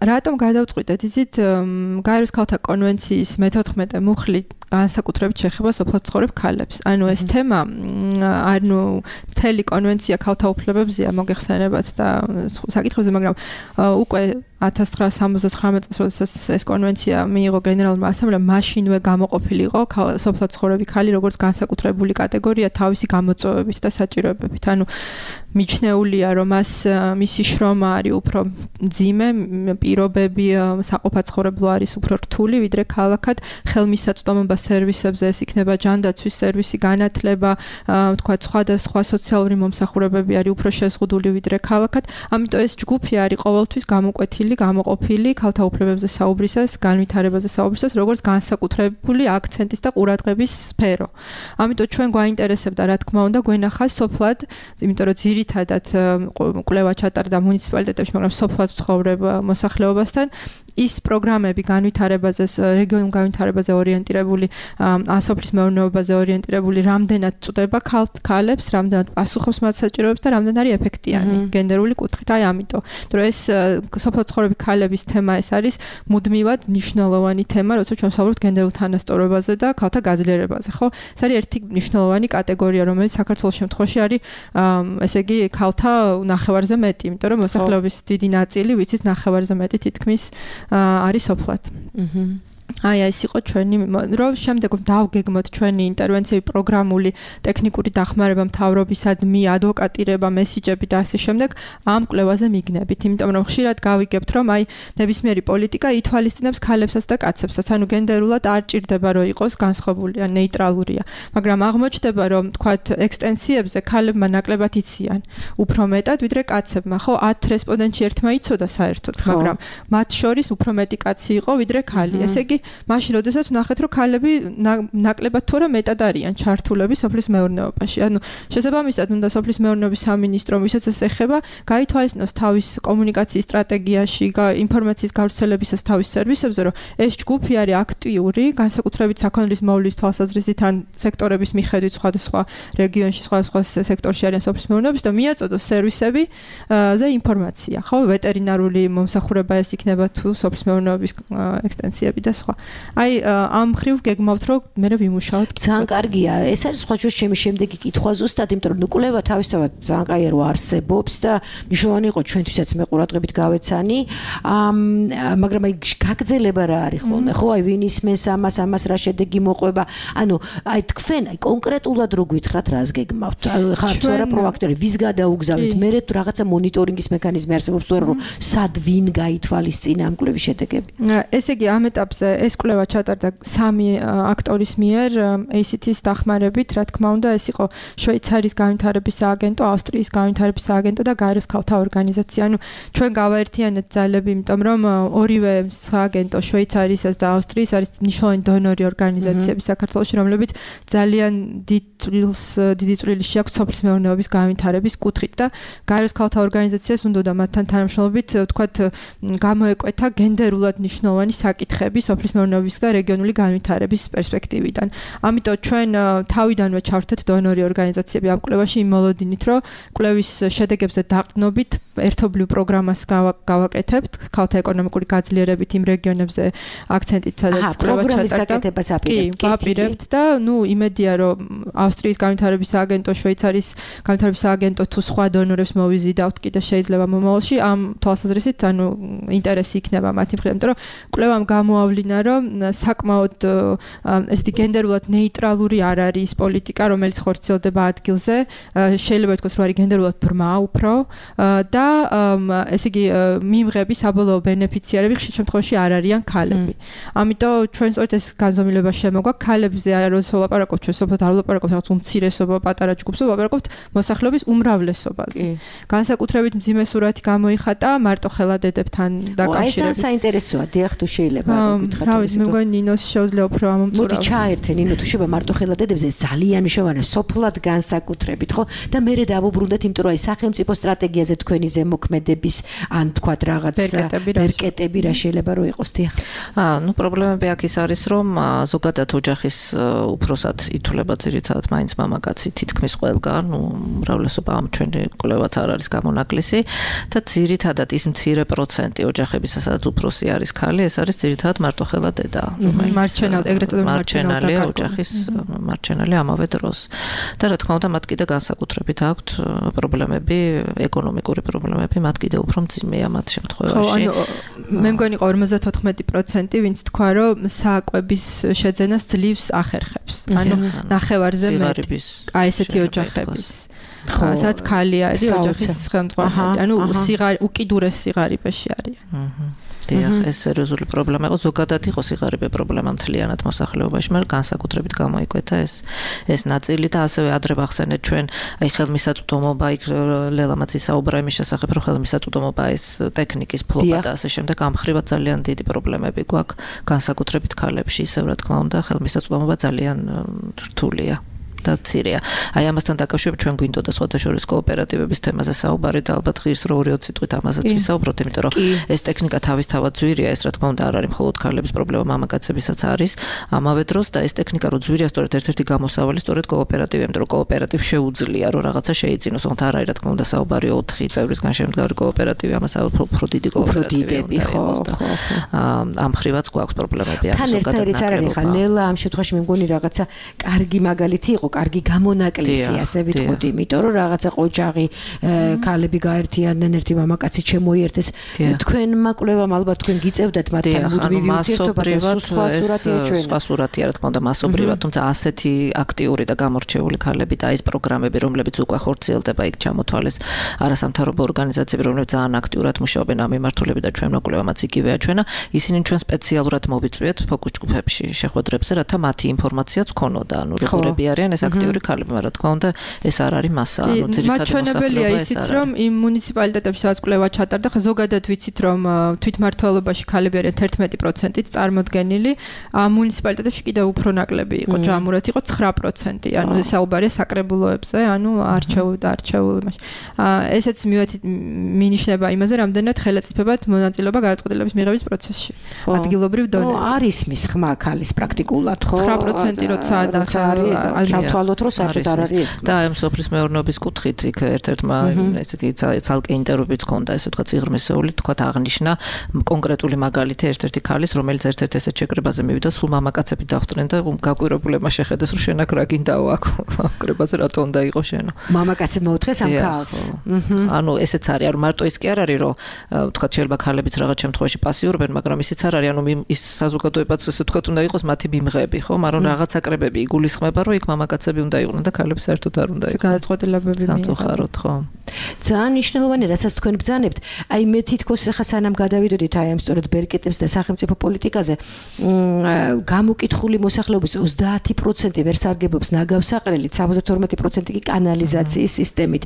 რატომ გადავწყვიტეთ? იცით, გაეროს ქალთა კონვენციის მეთოთხმეტე მუხლი განსაკუთრებით შეეხება სოფლად მცხოვრებ ქალებს. ანუ ეს თემა, ანუ მთელი კონვენცია ქალთა უფლებებზეა, მოგეხსენებათ და საკითხებზე, მაგრამ უკვე ათას ცხრაასი სამოცდათხრამეტ წელს, როდესაც ეს კონვენცია მიიღო გენერალურმა ასამბლეამ, მაშინვე გამოყოფილი იყო სოფლად ცხოვრები ქალი როგორც განსაკუთრებული კატეგორია თავისი გამოწვევებით და საჭიროებებით. ანუ მიჩნეულია, რომ მას მისი შრომა არის უფრო მძიმე, პირობები საყოფაცხოვრებლო არის უფრო რთული, ვიდრე ქალაქად ხელმისაწვდომობა სერვისებზე, ეს იქნება ჯანდაცვის სერვისი, განათლება, თქვა სხვადასხვა სოციალური მომსახურებები არის უფრო შეზღუდული ვიდრე ქალაქად. ამიტომ ეს ჯგუფი არის ყოველთვის გამოკვეთილი, გამოყოფილი ქალთა უფლებებზე საუბრისას, განვითარებაზე საუბრისას, როგორც განსაკუთრებული აქცენტის და ყურადღების სფერო. ამიტომ ჩვენ გვაინტერესებდა, რა თქმა უნდა, გვენახა სოფლად, იმიტომ რომ ძირითადად კვლევა ჩატარდა მუნიციპალიტეტებში, მაგრამ სოფლად ცხოვრებ მოსახლეობასთან ის პროგრამები განვითარებაზე, რეგიონულ განვითარებაზე ორიენტირებული, სოფლის მეურნეობაზე ორიენტირებული, რამდენად წვდება ქალებს, რამდენად პასუხობს მათ საჭიროებებს და რამდენად არის ეფექტიანი გენდერული კუთხით. აი ამიტომ, რომ ეს სოფლად ცხოვრები ქალების თემა ეს არის მუდმივად მნიშვნელოვანი თემა, როცა ჩვენ ვსაუბრობთ გენდერულ თანასწორობაზე და ქალთა გაძლიერებაზე, ხო? ეს არის ერთი მნიშვნელოვანი კატეგორია, რომელიც საქართველოს შემთხვევაში არის, ესე იგი, ქალთა ნახევარზე მეტი, იმიტომ რომ მოსახლეობის დიდი ნაწილი, ვიცით, ნახევარზე მეტი თითქმის არის სოფლად. აჰა. აი ეს იყო ჩვენი რომ შემდეგ დავგეგმოთ ჩვენი ინტერვენციები პროგრამული ტექნიკური დახმარება მთავრობისადმი ადვოკატირება მესიჯები და ასე შემდეგ ამ კვლევაზე მიგნებით იმიტომ რომ ხშირად გავიგებთ რომ აი ნებისმიერი პოლიტიკა ითვალისწინებს ქალებსაც და კაცებსაც ანუ გენდერულად არ ჭირდება რომ იყოს განსხვავებული ან ნეიტრალურია მაგრამ აღმოჩნდება რომ თქვათ ექსტენსიებზე ქალებმა ნაკლებად იციან უფრო მეტად ვიდრე კაცებმა ხო ათ რესპონდენტში ერთმა იცოდა საერთოდ მაგრამ მათ შორის უფრო მეტი კაცი იყო ვიდრე ქალი ესე იგი მაშინ როდესაც ვნახეთ რომ ქალები ნაკლებად თუ არა მეტად არიან ჩართულები სოფლის მეურნეობაში. ანუ შესაბამისად უნდა სოფლის მეურნეობის სამინისტრომ ვისაც ეს ეხება, გაითვალისწინოს თავის კომუნიკაციის სტრატეგიაში, ინფორმაციის გავრცელებისას თავის სერვისებზე, რომ ეს ჯგუფი არის აქტიური, განსაკუთრებით საქონლის მოვლის თვალსაზრისით ან სექტორების მიხედვით სხვადასხვა რეგიონში, სხვადასხვა სექტორში არიან სოფლის მეურნეობის და მიაწოდოს სერვისებზე ინფორმაცია. ხო, ვეტერინარული მომსახურება ეს იქნება თუ სოფლის მეურნეობის ექსტენსიები და სხვა. აი ამ ხრივ გეგმავთ რომ მე ვიმუშაოთ. ძალიან კარგია. ეს არის სხვა ჯერ ჩემი შემდეგი კითხვა ზუსტად, იმიტომ რომ კვლევა თავისთავად ძალიან კაია რომ არსებობს და მნიშვნელოვანი იყო ჩვენთვისაც მე ყურადღებით გავეცანი. მაგრამ აი გაგრძელება რა არის ხოლმე? ხო, აი ვინ ისმენს ამას, ამას რა შედეგი მოყვება? ანუ აი თქვენ აი კონკრეტულად რო გითხრათ რას გეგმავთ? ანუ ხართ თუ არა პროაქტორი, ვის გადაუგზავნით? მე რაღაცა მონიტორინგის მექანიზმი არსებობს თუ არა რომ სად ვინ გაითვალისწინა ამ კვლევის შედეგები? ესე იგი ამ ეტაპზე ეს კვლევა ჩატარდა სამი აქტორის მიერ ეი სი თის დახმარებით, რა თქმა უნდა, ეს იყო შვეიცარიის განვითარების სააგენტო, ავსტრიის განვითარების სააგენტო და გაეროს ქალთა ორგანიზაცია. ანუ ჩვენ გავაერთიანეთ ძალები, იმიტომ რომ ორივე სააგენტო, შვეიცარიისა და ავსტრიის არის მნიშვნელოვანი დონორი ორგანიზაციები საქართველოში, რომლებიც ძალიან დიდ წვლილს, დიდი წვლილი შეაქვთ სოფლის მეურნეობის განვითარების კუთხით და გაეროს ქალთა ორგანიზაციას უნდა მათთან თანამშრომლობით, ვთქვათ, გამოეკვეთა გენდერულად მნიშვნელოვანი საკითხები სოფლის მეურნეობის და რეგიონული განვითარების პერსპექტივიდან. ამიტომ ჩვენ თავიდანვე ჩავერთეთ დონორი ორგანიზაციები ამ კვლევაში იმ მოლოდინით, რომ კვლევის შედეგებზე დაყრდნობით ერთობლივ პროგრამას გავაკეთებთ, ქალთა ეკონომიკური გაძლიერებით იმ რეგიონებზე აქცენტით, სადაც კვლევა ჩატარდა. კი, ვაპირებთ და ნუ იმედია, რომ ავსტრიის განვითარების სააგენტო, შვეიცარიის განვითარების სააგენტო თუ სხვა დონორებს მოვიზიდავთ კიდე შეიძლება მომავალში ამ თვალსაზრისით, ანუ ინტერესი იქნება მათი მხრიდან, იმიტომ რომ კვლევამ გამოავლინა რომ საკმაოდ ესეთი გენდერულად ნეიტრალური არ არის პოლიტიკა, რომელიც ხორციელდება ადგილზე. შეიძლება ითქვას, რომ არის გენდერულად ბრმა უფრო და ესე იგი მიმღები საბოლოო ბენეფიციარები ხშირ შემთხვევაში არ არიან ქალები. ამიტომ ჩვენ სწორედ ეს განზომილება შემოგვა ქალებზე არ ვლაპარაკობთ, ჩვენ სოფლად არ ვლაპარაკობთ რაღაც უმცირესობა, პატარა ჯგუფზე, ვლაპარაკობთ მოსახლეობის უმრავლესობაზე. განსაკუთრებით მძიმე სურათი გამოიხატა მარტოხელა დედებთან დაკავშირებით. ეს საინტერესოა, დიახ, თუ შეიძლება გითხრათ. რა ვიცი, მე მგონი ნინოს შეუძლია უფრო ამომწურავ. მოდი ჩაერთე ნინო, თუ შეიძლება მარტოხელა დედებზე ძალიან მნიშვნელოვანია სოფლად განსაკუთრებით, ხო? და მე დავუბრუნდეთ, იმიტომ რომ აი სახელმწიფო სტრატეგიაზე თქვენი ზემოქმედების ან თქვათ რაღაც ბერკეტები რა შეიძლება რომ იყოს, დიახ. აა, ნუ პრობლემები აქ ის არის, რომ ზოგადად ოჯახის უფროსად ითვლება ძირითადად მაინც მამაკაცი თითქმის ყველგან, ნუ უმრავლესობა ამ ჩვენი კვლევაც არ არის გამონაკლისი და ძირითადად ის მცირე პროცენტი ოჯახებისა, სადაც უფროსი არის ქალი, ეს არის ძირითადად მარტოხელა დედა, რომელიც მარჩენალი, ეგრეთ წოდებული მარჩენალი ოჯახის მარჩენალი ამავე დროს. და რა თქმა უნდა, მათ კიდე განსაკუთრებით აქვთ პრობლემები, ეკონომიკური პრობლემები პრობლემები, მათ კიდევ უფრო მძიმეა მათ შემთხვევაში. ხო, ანუ მე მგონი ორმოცდათოთხმეტი პროცენტი ვინც თქვა, რომ საკვების შეძენას ძლივს ახერხებს. ანუ ნახევარზე მეტი. აი ესეთი ოჯახების. ხო, სადაც ქალი არის ოჯახის ხელმძღვანელი. ანუ სიღარი უკიდურეს სიღარიბეში არიან. აჰა. დიახ, ეს სერიოზული პრობლემა იყო, ზოგადად იყო სიღარიბე პრობლემა მთლიანად მოსახლეობაში, მაგრამ განსაკუთრებით გამოიკვეთა ეს ეს ნაწილი და ასევე ადრე ვახსენეთ ჩვენ, აი ხელმისაწვდომობა, იქ ლელამაც ისაუბრა იმის შესახებ, რომ ხელმისაწვდომობა ეს ტექნიკის ფლობა და ასე შემდეგ ამ ხრივად ძალიან დიდი პრობლემები გვაქვს, განსაკუთრებით ქალებში, ისევ რა თქმა უნდა, ხელმისაწვდომობა ძალიან რთულია. და ცირია. აი ამასთან დაკავშირებით ჩვენ გვინდოდა სხვადასხვა კოოპერატივების თემაზე საუბარი და ალბათ ღირს რო ორი წუთით ამაზეც ვისაუბროთ, იმიტომ რომ ეს ტექნიკა თავისთავად ძვირია, ეს რა თქმა უნდა არ არის მხოლოდ ქალების პრობლემა, მამაკაცებისაც არის. ამავე დროს და ეს ტექნიკა რო ძვირია, სწორედ ერთ-ერთი გამოსავალი სწორედ კოოპერატივი, იმიტომ რომ კოოპერატივ შეუძლია რომ რაღაცა შეიძინოს, თუმცა არ არის რა თქმა უნდა საუბარი ოთხი წევრისგან შემდგარი კოოპერატივი, ამას უფრო დიდი კოოპერატივები ხო, ხო. ამ ხრივაც გვაქვს პრობლემები ამ ზოგადად. თან ერთ-ერთი არ არის ხა ლელა ამ შემთხვევაში მე მგონი რაღაცა კარგი მაგალითი იყო, კარგი გამონაკლისი, ასე ვიტყოდი, იმიტომ რომ რაღაცა ყოჯაღი ქალები გაერთიანდნენ, ერთი მამაკაცი შემოიერთეს. თქვენმა კვლევამ ალბათ თქვენ გიწევდათ მათთან მუდმივი ურთიერთობა და სხვა სურათია ჩვენ. სხვა სურათია, რა თქმა უნდა, მასობრივად, თუმცა ასეთი აქტიური და გამორჩეული ქალები და ეს პროგრამები, რომლებიც უკვე ხორციელდება, იქ ჩამოთვალეს არასამთავრობო ორგანიზაციები, რომლებიც ძალიან აქტიურად მუშაობენ ამ მიმართულებით და ჩვენმა კვლევამაც იგივე აჩვენა. ისინი ჩვენ სპეციალურად მოვიწვიეთ ფოკუს ჯგუფებში შეხვედრებზე, რათა მათი ინფორმაციაც გქონოდა, ანუ როგორები არიან ეს აქტიური ქალები, მაგრამ რა თქმა უნდა, ეს არ არის მასა, ანუ ძირითადად მაჩვენებელია ისიც, რომ იმ მუნიციპალიტეტებში სადაც კვლევა ჩატარდა, ხა ზოგადად ვიცით, რომ თვითმმართველობაში ქალები არიან თერთმეტი პროცენტით წარმოდგენილი, ამ მუნიციპალიტეტებში კიდევ უფრო ნაკლები იყო, ჯამურად იყო ცხრა პროცენტი, ანუ საუბარია საკრებულოებზე, ანუ არჩეულ და არჩეულ იმაში. ესეც მინიშნება იმაზე, რამდენად ხელეწიფებად მონაწილეობა გადაწყვეტილების მიღების პროცესში. ადგილობრივ დონეზე. არის მის ხმა ქალის პრაქტიკულად, ხო? ცხრა პროცენტი როცა არის ჩავთვალოთ, რომ საერთოდ არ არის ეს. და ამ სოფლის მეურნეობის კუთხით იქ ერთ-ერთმა ესეთი ცალკე ინტერვიუც ჰქონდა, ესე ვთქვათ, სიღრმისეული, თქვათ აღნიშნა კონკრეტული მაგალითი ერთ-ერთი ქალის, რომელიც ერთ-ერთ ესეთ შეკრებაზე მივიდა, სულ მამაკაცები დახვდნენ და გაკვირვებულებმა შეხედეს, რომ შენ აქ რა გინდაო აქ კრებაზე რატო უნდა იყო შენო. მამაკაცებმა მოთხეს ამ ქალს. ანუ ესეც არის, ანუ მარტო ის კი არ არის, რომ ვთქვათ, შეიძლება ქალებიც რაღაც შემთხვევაში პასიურობენ, მაგრამ ისიც არ არის, ანუ ის საზოგადოებაც ესე ვთქვათ, უნდა იყოს მათი მიმღები, ხო? მაგრამ რაღაც აკრებები იგულისხმება, რომ იქ მამაკაცები უნდა იყვნენ და ქალები საერთოდ არ უნდა იყვნენ. გადაწყვეტილებები მიიღოთ, ხო. ძალიან მნიშვნელოვანი, რასაც თქვენ ბრძანებთ. აი მე თითქოს ახლა სანამ გადავიდოდით აი ამ სწორედ ბერკეტებს და სახელმწიფო პოლიტიკაზე, გამოკითხული მოსახლეობის ოცდაათი პროცენტი ვერ სარგებლობს ნაგავსაყრელით, სამოცდათორმეტი პროცენტი კი კანალიზაციის სისტემით.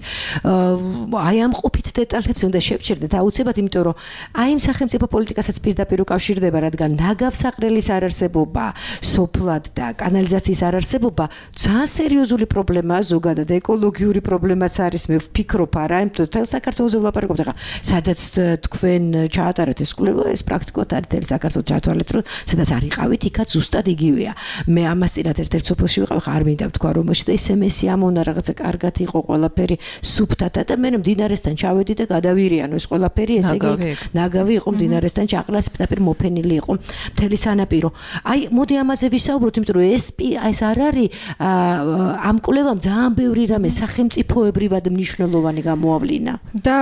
აი ამ ყოფით დეტალებზე უნდა შევჩერდეთ აუცილებლად, იმიტომ რომ აი ამ სახელმწიფო პოლიტიკასაც პირდაპირ უკავშირდება, რადგან ნაგავსაყრელის არარსებობა, სოფლად და კანალიზაციის არარსებობა ძალიან სერიოზული პრობლემაა, ზოგადად ეკოლოგიური პრობლემაც არის, მე ვფიქრობ არა, იმიტომ რომ საქართველოს ვლაპარაკობთ ახლა, სადაც თქვენ ჩაატარეთ ეს კვლევა, ეს პრაქტიკულად არის თელ საქართველოს ჩათვალეთ, რომ სადაც არ იყავით, იქაც ზუსტად იგივეა. მე ამას წინათ ერთ-ერთ სოფელში ვიყავ, ხარ მინდა ვთქვა, რომ მოშ და ის ემესი ამონა რაღაცა კარგად იყო ყველაფერი სუფთად და მე მდინარესთან ჩავედი და გადავირიანო ეს ყველაფერი, ესე იგი ნაგავი იყო მდინარესთან ჩაყრას, პირდაპირ მოფენილი იყო მთელი სანაპირო. აი, მოდი ამაზე ვისაუბროთ, იმიტომ რომ ეს ეს არ არის ამ კვლევამ ძალიან ბევრი რამე სახელმწიფოებრივად მნიშვნელოვანი გამოავლინა. და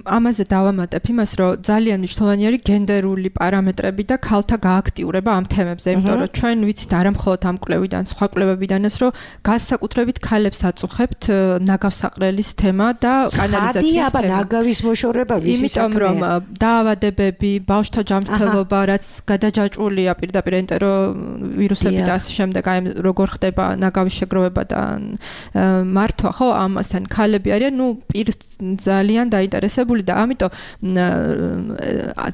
ამაზე დავამატებ იმას, რომ ძალიან მნიშვნელოვანი არის გენდერული პარამეტრები და ქალთა გააქტიურება ამ თემებზე, იმიტომ რომ ჩვენ ვიცით არა მხოლოდ ამ კვლევიდან, სხვა კვლევებიდანაც, რომ განსაკუთრებით ქალებს აწუხებთ ნაგავსაყრელის თემა და კანალიზაციის თემა. ნაგავის მოშორება ვისი იმიტომ რომ დაავადებები, ბავშვთა ჯანმრთელობა, რაც გადაჯაჭვულია პირდაპირ ენტერო ვირუსები და ასე შემდეგ, აი როგორ ხდება ნაგავის შეგროვება და მართვა, ხო, ამასთან ქალები არიან, ნუ პირ ძალიან დაინტერესებული და ამიტომ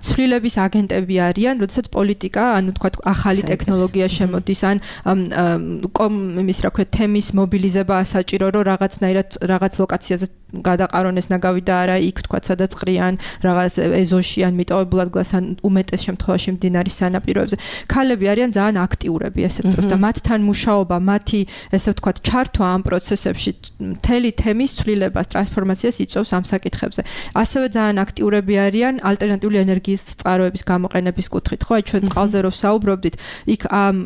ცვლილების აგენტები არიან, როდესაც პოლიტიკა, ანუ თქვა ახალი ტექნოლოგია შემოდის, ან კომ იმის რა ქვია, თემის მობილიზება საჭირო, რომ რაღაცნაირად რაღაც ლოკაციაზე გადაყარონ ეს ნაგავი და არა იქ თქვა, სადაც ყრიან, რაღაც ეზოში ან მიტოვებულად გლას ან უმეტეს შემთხვევაში მდინარის სანაპიროებზე. ქალები არიან ძალიან აქტიურები ესეთ დროს და მათთან მუშაობა, მათი ესე ვთქვათ, ჩართვა ამ პროცესებში მთელი თემის ცვლილებას, ტრანსფორმაციას იწვევს ამ საკითხებზე. ასევე ძალიან აქტიურები არიან ალტერნატიული ენერგიის ენერგიის წყაროების გამოყენების კუთხით, ხო, აი ჩვენ წყალზე რო ვსაუბრობდით, იქ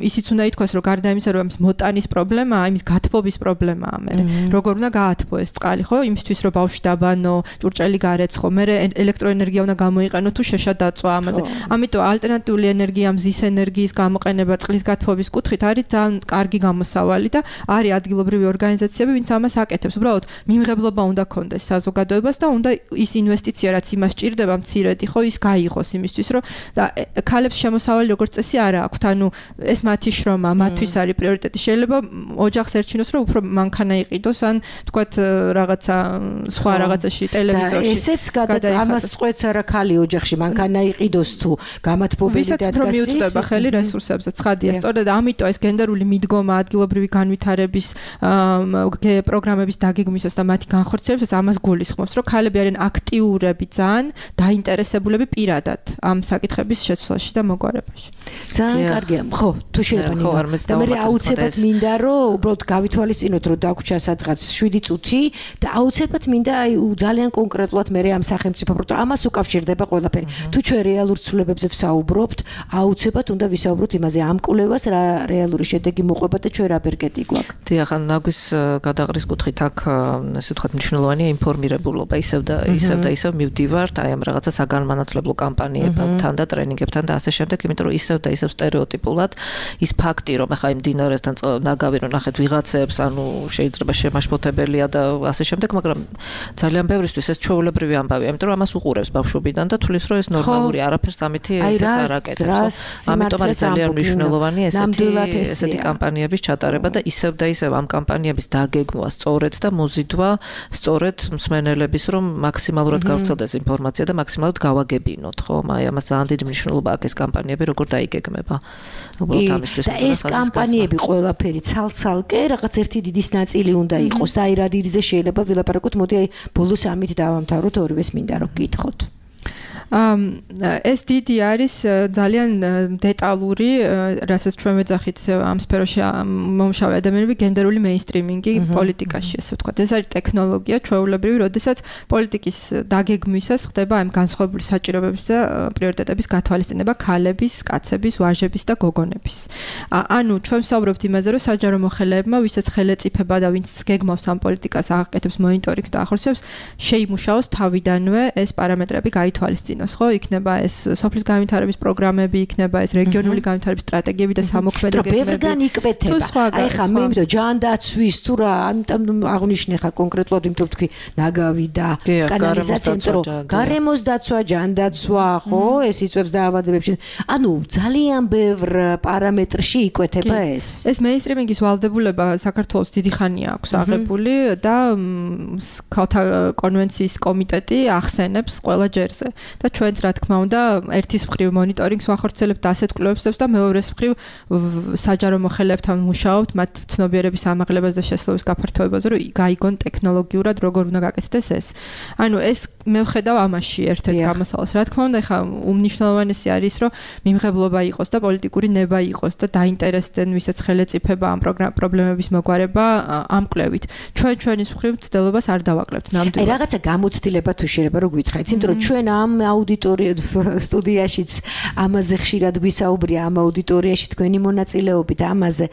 ისიც უნდა ითქვას, რომ გარდა იმისა, რომ ამის მოტანის პრობლემაა, იმის გათბობის პრობლემაა მე. როგორ უნდა გაათბო ეს წყალი, ხო, იმისთვის რომ ბავშვი დაბანო, ჭურჭელი გარეცხო, მე ელექტროენერგია უნდა გამოიყენო თუ შეშა დაწვა ამაზე. ამიტომ ალტერნატიული ენერგია, მზის ენერგიის გამოყენება წყლის გათბობის კუთხით არის ძალიან კარგი გამოსავალი და არის ადგილობრივი ორგანიზაციები, ვინც ამას აკეთებს. უბრალოდ მიმღებლობა უნდა ქონდეს საზოგადოებას და უნდა ის ინვესტიცია, რაც იმას ჭირდება მცირედი, ხო, ის გაიღოს იმისთვის, რომ და ქალებს შემოსავალი როგორც წესი არა აქვთ, ანუ ეს მათი შრომა, მათთვის არის პრიორიტეტი. შეიძლება ოჯახს ერჩინოს, რომ უფრო მანქანა იყიდოს, ან თქვათ რაღაცა სხვა რაღაცაში ტელევიზორში. ესეც გადაწყ ამას წყვეტს არა ქალი ოჯახში, მანქანა იყიდოს თუ გამათბობელი და დადგას მიუწვდება ხელი რესურსებზე. ცხადია, სწორედ ამიტომ ეს გენდერული მიდგომა ადგილობრივი განვითარების პროგრამების დაგეგმვისას და მათი განხორციელებისას ამას გულისხმობს, რომ ქალები არიან აქტიურები ძალიან დაინტერესებულები პირადად ამ საკითხების შეცვლაში და მოგვარებაში. ძალიან კარგია. ხო, თუ შეიძლება და მე აუცილებლად მინდა რომ უბრალოდ გავითვალისწინოთ, რომ დაგვრჩა სადღაც შვიდი წუთი და აუცილებლად მინდა აი ძალიან კონკრეტულად მე ამ სახელმწიფო პროექტს ამას უკავშირდება ყველაფერი. თუ ჩვენ რეალურ ცვლილებებზე ვსაუბრობთ, აუცილებლად უნდა ვისაუბროთ იმაზე, ამ კვლევას რა რეალური შედეგი მოყვება და ჩვენ რა ბერკეტი გვაქვს. დიახ, ნაგვის გადაყრის კუთხით აქ ესე ვთქვათ მნიშვნელოვანია ინფორმირებულობა, ისევ და ისევ და ისევ მივდივართ აი ამ რაღაცა საგანმანათლებლო კამპანიებთან და ტრენინგებთან და ასე შემდეგ, იმიტომ რომ ისევ და ისევ სტერეოტიპულად ის ფაქტი, რომ ახლა იმ დინარესთან ნაგავი რომ ნახეთ ვიღაცებს, ანუ შეიძლება შემაშფოთებელია და ასე შემდეგ, მაგრამ ძალიან ბევრისთვის ეს ჩვეულებრივი ამბავია, იმიტომ რომ ამას უყურებს ბავშვობიდან და თulis რომ ეს ნორმალური არაფერს ამითი ესეც არ აკეთებს. ამიტომ არის ძალიან მნიშვნელოვანი ესეთი ესეთი კამპანიების ჩატარება და ისევ და ისევ ამ კამპანიების დაგეგმვა სწორედ და მოზიდვა სწორედ მსმენელების, რომ მაქსიმალურად გავრცელდეს ინფორმაცია და მაქსიმალურად გავაგებინოთ, ხო? აი ამას ძალიან დიდი მნიშვნელობა აქვს ეს კამპანიები, როგორ დაიგეგმება. უბრალოდ ამისთვის და ეს კამპანიები ყველაფერი ცალ-ცალკე რაღაც ერთი დიდის ნაწილი უნდა იყოს და აი რა დიდზე შეიძლება ვილაპარაკოთ, მოდი აი ბოლოს ამით დავამთავროთ, ორივეს მინდა რომ გითხოთ. ეს დიდი არის ძალიან დეტალური, რასაც ჩვენ ვეძახით ამ სფეროში მომშავე ადამიანები გენდერული მეინსტრიმინგი პოლიტიკაში, ესე ვთქვათ. ეს არის ტექნოლოგია ჩვეულებრივი, როდესაც პოლიტიკის დაგეგმვისას ხდება ამ განსხვავებული საჭიროებების და პრიორიტეტების გათვალისწინება ქალების, კაცების, ვაჟების და გოგონების. ანუ ჩვენ ვსაუბრობთ იმაზე, რომ საჯარო მოხელეებმა, ვისაც ხელეწიფება და ვინც გეგმავს ამ პოლიტიკას, აკეთებს მონიტორინგს და ახორციელებს, შეიმუშაოს თავიდანვე ეს პარამეტრები გაითვალისწინოს. ხო, იქნება ეს სოფლის განვითარების პროგრამები, იქნება ეს რეგიონული განვითარების სტრატეგიები და სამოქმედო გეგმები. ბევრგან იკვეთება. აი ხა მე იმიტომ ჯანდაცვის თუ რა, ამიტომ აღნიშნე ხა კონკრეტულად იმიტომ ვთქვი ნაგავი და კანალიზაცია, იმიტომ გარემოს დაცვა, ჯანდაცვა, ხო, ეს იწვევს დაავადებებში. ანუ ძალიან ბევრ პარამეტრში იკვეთება ეს. ეს მეინსტრიმინგის ვალდებულება საქართველოს დიდი ხანია აქვს აღებული და ქალთა კონვენციის კომიტეტი ახსენებს ყველა ჯერზე. და ჩვენც რა თქმა უნდა ერთის მხრივ მონიტორინგს ვახორციელებთ ასეთ კვლევებს და მეორეს მხრივ საჯარო მოხელეებთან მუშაობთ მათ ცნობიერების ამაღლებას და შესაძლებლობის გაფართოებაზე, რომ გაიგონ ტექნოლოგიურად როგორ უნდა გაკეთდეს ეს. ანუ ეს მე ვხედავ ამაში ერთ-ერთ გამოსავალს. რა თქმა უნდა, ხა უმნიშვნელოვანესი არის, რომ მიმღებლობა იყოს და პოლიტიკური ნება იყოს და დაინტერესდნენ ვისაც ხელეწიფება ამ პრობლემების მოგვარება ამ კვლევით. ჩვენ ჩვენის მხრივ ცდელობას არ დავაკლებთ ნამდვილად. აი რაღაცა გამოცდილება თუ შეიძლება რომ გითხრათ, იმიტომ რომ ჩვენ ამ აუდიტორია სტუდიაშიც ამაზე ხშირად გვისაუბრია, ამ აუდიტორიაში თქვენი მონაწილეობით ამაზე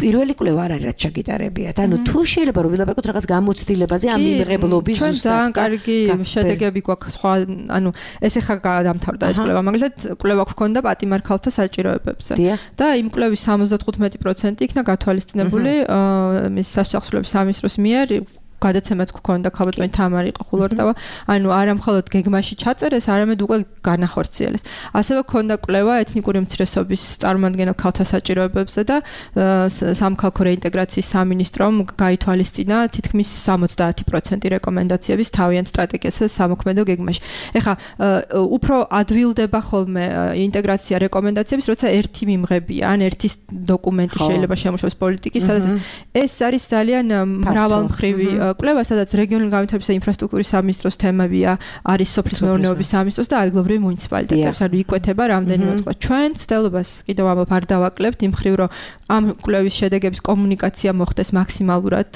პირველი კვლევა არ არის რაც ჩაგიტარებიათ. ანუ თუ შეიძლება რომ ვილაპარაკოთ რაღაც გამოცდილებაზე ამ მიმღებლობის ზუსტად. ჩვენ ძალიან კარგი შედეგები გვაქვს სხვა, ანუ ეს ახლა გადამთავრდა ეს კვლევა, მაგალითად კვლევა გვქონდა პატიმარ ქალთა საჭიროებებზე. და იმ კვლევის სამოცდათხუთმეტი პროცენტი იქნა გათვალისწინებული მის სასახსრებლობის სამინისტროს მიერ გადაცემაც გქონდა ქალბატონი თამარი ყხულორტავა, ანუ არა მხოლოდ გეგმაში ჩაწერეს, არამედ უკვე განახორციელეს. ასევე გქონდა კვლევა ეთნიკური უმცირესობის წარმომადგენელ ქალთა საჭიროებებზე და სამქალქო რეინტეგრაციის სამინისტრომ გაითვალისწინა თითქმის სამოცდაათი პროცენტი რეკომენდაციების თავიანთ სტრატეგიასა და სამოქმედო გეგმაში. ეხლა უფრო ადვილდება ხოლმე ინტეგრაცია რეკომენდაციების, როცა ერთი მიმღებია, ან ერთი დოკუმენტი შეიძლება შემოშოს პოლიტიკის, სადაც ეს არის ძალიან მრავალმხრივი კვლევა, სადაც რეგიონული განვითარებისა და ინფრასტრუქტურის სამინისტროს თემებია, არის სოფლის მეურნეობის სამინისტროს და ადგილობრივი მუნიციპალიტეტებს, ანუ იკვეთება რამდენიმე წყვა. ჩვენ ცდილობას კიდევ ამბობ არ დავაკლებთ იმ მხრივ, რომ ამ კვლევის შედეგების კომუნიკაცია მოხდეს მაქსიმალურად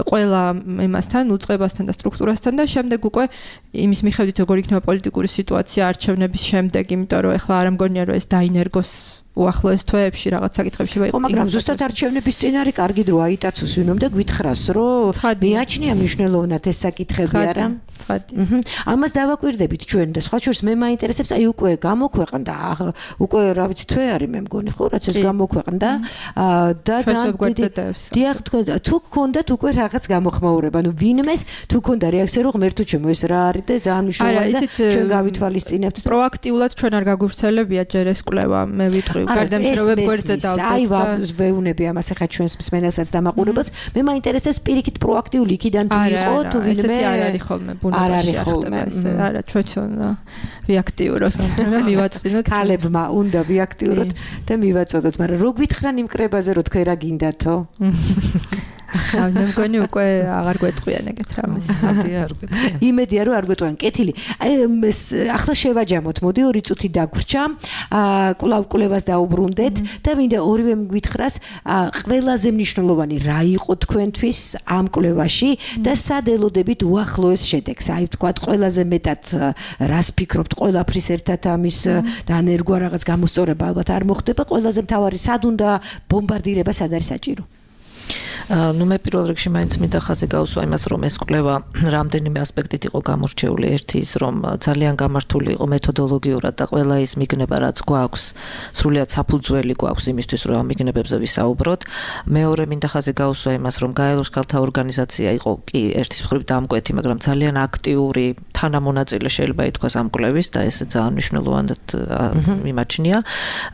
ყველა იმასთან, უწყებასთან და სტრუქტურასთან და შემდეგ უკვე იმის მიხედვით როგორ იქნება პოლიტიკური სიტუაცია არჩევნების შემდეგ, იმიტომ რომ ეხლა არ მგონია რომ ეს დაინერგოს უახლოეს თვეებში რაღაც საკითხებში შეიძლება იყო, მაგრამ ზუსტად არჩევნების წინ არის კარგი დრო აიტაცოს ვინმე და გვითხრას, რომ მეაჩნია მნიშვნელოვნად ეს საკითხები არა? ამას დავაკვირდებით ჩვენ და სხვა შორის მე მაინტერესებს, აი უკვე გამოქვეყნდა, უკვე რა ვიცი თვე არის მე მგონი ხო, რაც ეს გამოქვეყნდა და ძალიან დიახ, თუ გქონდათ უკვე რაღაც გამოხმაურება, ანუ ვინმეს თუ გქონდა რეაქცია, რომ ღმერთო ჩემო ეს რა არის და ძალიან მნიშვნელოვანია და ჩვენ გავითვალისწინებთ. პროაქტიულად ჩვენ არ გაგვვრცელებია ჯერ ეს კვლევა, მე ვიტყვი გარდა იმისა, რომ ვებგვერდზე დავდეთ. აი ვეუბნები ამას ახლა ჩვენს მსმენელსაც და მაყურებელს, მე მაინტერესებს პირიქით პროაქტიული იქიდან თუ იყო თუ ვინმე არ არის ხოლმე არ არის ხოლმე ესე არა ჩვენ ვიაქტიუროთ და მივაწყინოთ ქალებმა უნდა ვიაქტიუროთ და მივაწოდოთ, მაგრამ რო გვითხრან იმ კრებაზე რომ თქვენ რა გინდათო? აი მე მგონი უკვე აღარ გვეტყვიან ეგეთ რამეს. მოდია არ გვეტყვიან. იმედია რომ არ გვეტყვიან. კეთილი. აი ახლა შევაჯამოთ, მოდი ორი წუთი დაგვრჩა. აა კვლავ კვლევას დაუბრუნდეთ და მინდა ორივე გვითხრას ყველაზე მნიშვნელოვანი რა იყო თქვენთვის ამ კვლევაში და სად ელოდებით უახლოეს შედეგს. აი ვთქვათ ყველაზე მეტად რას ფიქრობთ ყველაფრის ერთად ამის დანერგვა რაღაც გამოსწორება ალბათ არ მოხდება, ყველაზე მთავარი სად უნდა ბომბარდირება, სად არის საჭირო? ნუ მე პირველ რიგში მაინც მინდა ხაზი გავუსვა იმას, რომ ეს კვლევა რამდენიმე ასპექტით იყო გამორჩეული. ერთი ის, რომ ძალიან გამართული იყო მეთოდოლოგიურად და ყველა ის მიგნება, რაც გვაქვს, სრულიად საფუძველი გვაქვს იმისთვის, რომ ამ მიგნებებზე ვისაუბროთ. მეორე მინდა ხაზი გავუსვა იმას, რომ გაელოს ქალთა ორგანიზაცია იყო კი ერთის მხრივ დამკვეთი, მაგრამ ძალიან აქტიური თანამონაწილე შეიძლება ითქვას ამ კვლევის და ეს ძალიან მნიშვნელოვნად მიმაჩნია.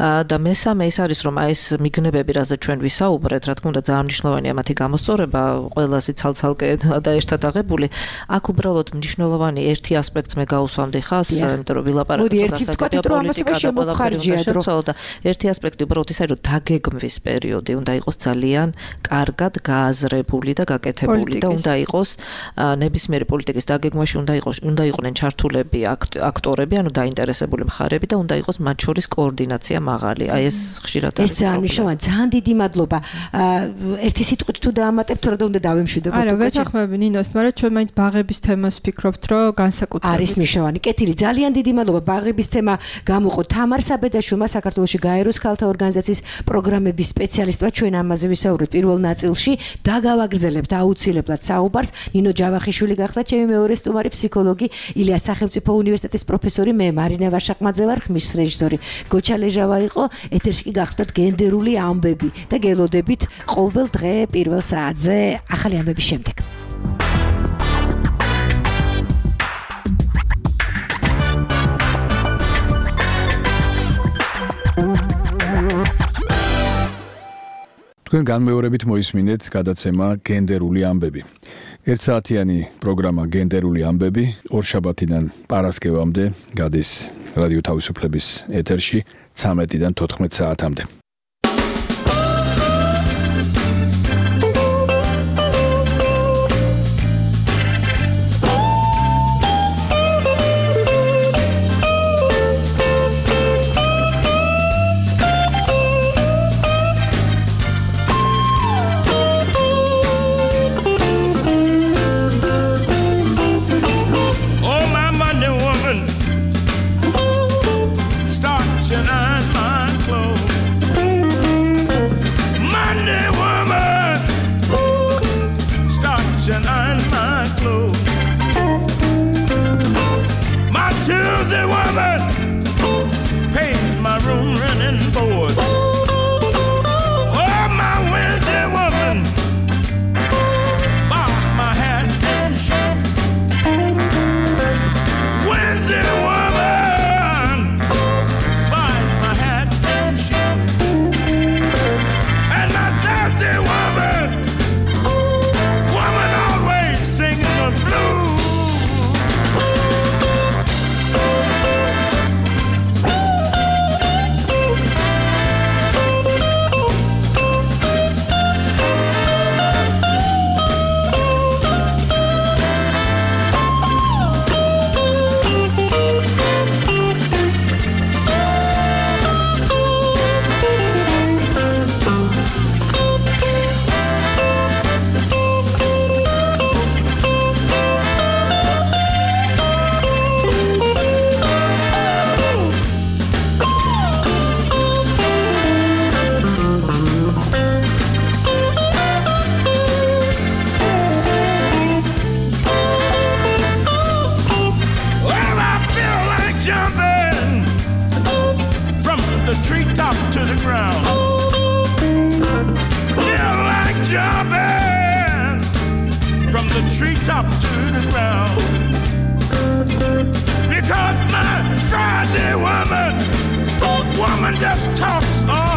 და მესამე ის არის, რომ აი ეს მიგნებები, რაზეც ჩვენ ვისაუბრეთ, რა თქმა უნდა ძალიან მნიშვნელოვანია მათი გამოსწორება, ყველაზე ცალ-ცალკე და ერთად აღებული. აქ უბრალოდ მნიშვნელოვანი ერთი ასპექტს მე გავუსვამდი ხას, იმიტომ რომ ვილაპარაკობ დასაკუთრებით პოლიტიკა და ყველაფერი უნდა შეცვალო და ერთი ასპექტი უბრალოდ ის არის, რომ დაგეგმვის პერიოდი უნდა იყოს ძალიან კარგად გააზრებული და გაკეთებული და უნდა იყოს ნებისმიერი პოლიტიკის დაგეგმვაში უნდა იყოს უნდა იყვნენ ჩართულები აქტორები, ანუ დაინტერესებული მხარეები და უნდა იყოს მათ შორის კოორდინაცია მაღალი. აი ეს ხშირად არის. ეს ძალიან მნიშვნელოვანია. ძალიან დიდი მადლობა. ერთი სიტყვით თუ დაამატებთ, რა უნდა დავემშვიდობოთ? არა, ვეთანხმები ნინოს, მაგრამ ჩვენ მაინც ბაღების თემას ვფიქრობთ, რომ განსაკუთრებით არის მნიშვნელოვანი. კეთილი, ძალიან დიდი მადლობა. ბაღების თემა გამოყო თამარ საბედაშვილმა, საქართველოში გაეროს ქალთა ორგანიზაციის პროგრამების სპეციალისტმა. ჩვენ ამაზე ვისაუბრეთ პირველ ნაწილში და გავაგრძელებთ აუცილებლად საუბარს. ნინო ჯავახიშვილი გახდა ჩემი მეორე სტუმარი, ფსიქოლოგი, ილიას სახელმწიფო უნივერსიტეტის პროფესორი, მე მარინა ვაშაკმაძე ვარ, ხმის რეჟისორი გოჩა ლეჟავა იყო. ეთერში კი გახდათ გენდერული ამბები და გელოდებით ყოველ დღე პირველ საათზე ახალი ამბების შემდეგ. თქვენ განმეორებით მოისმინეთ გადაცემა გენდერული ამბები. ერთსაათიანი პროგრამა გენდერული ამბები ორშაბათიდან პარასკევამდე გადის რადიო თავისუფლების ეთერში ცამეტიდან თოთხმეტ საათამდე. Starch and iron my clothes. Wednesday woman, woman just talks all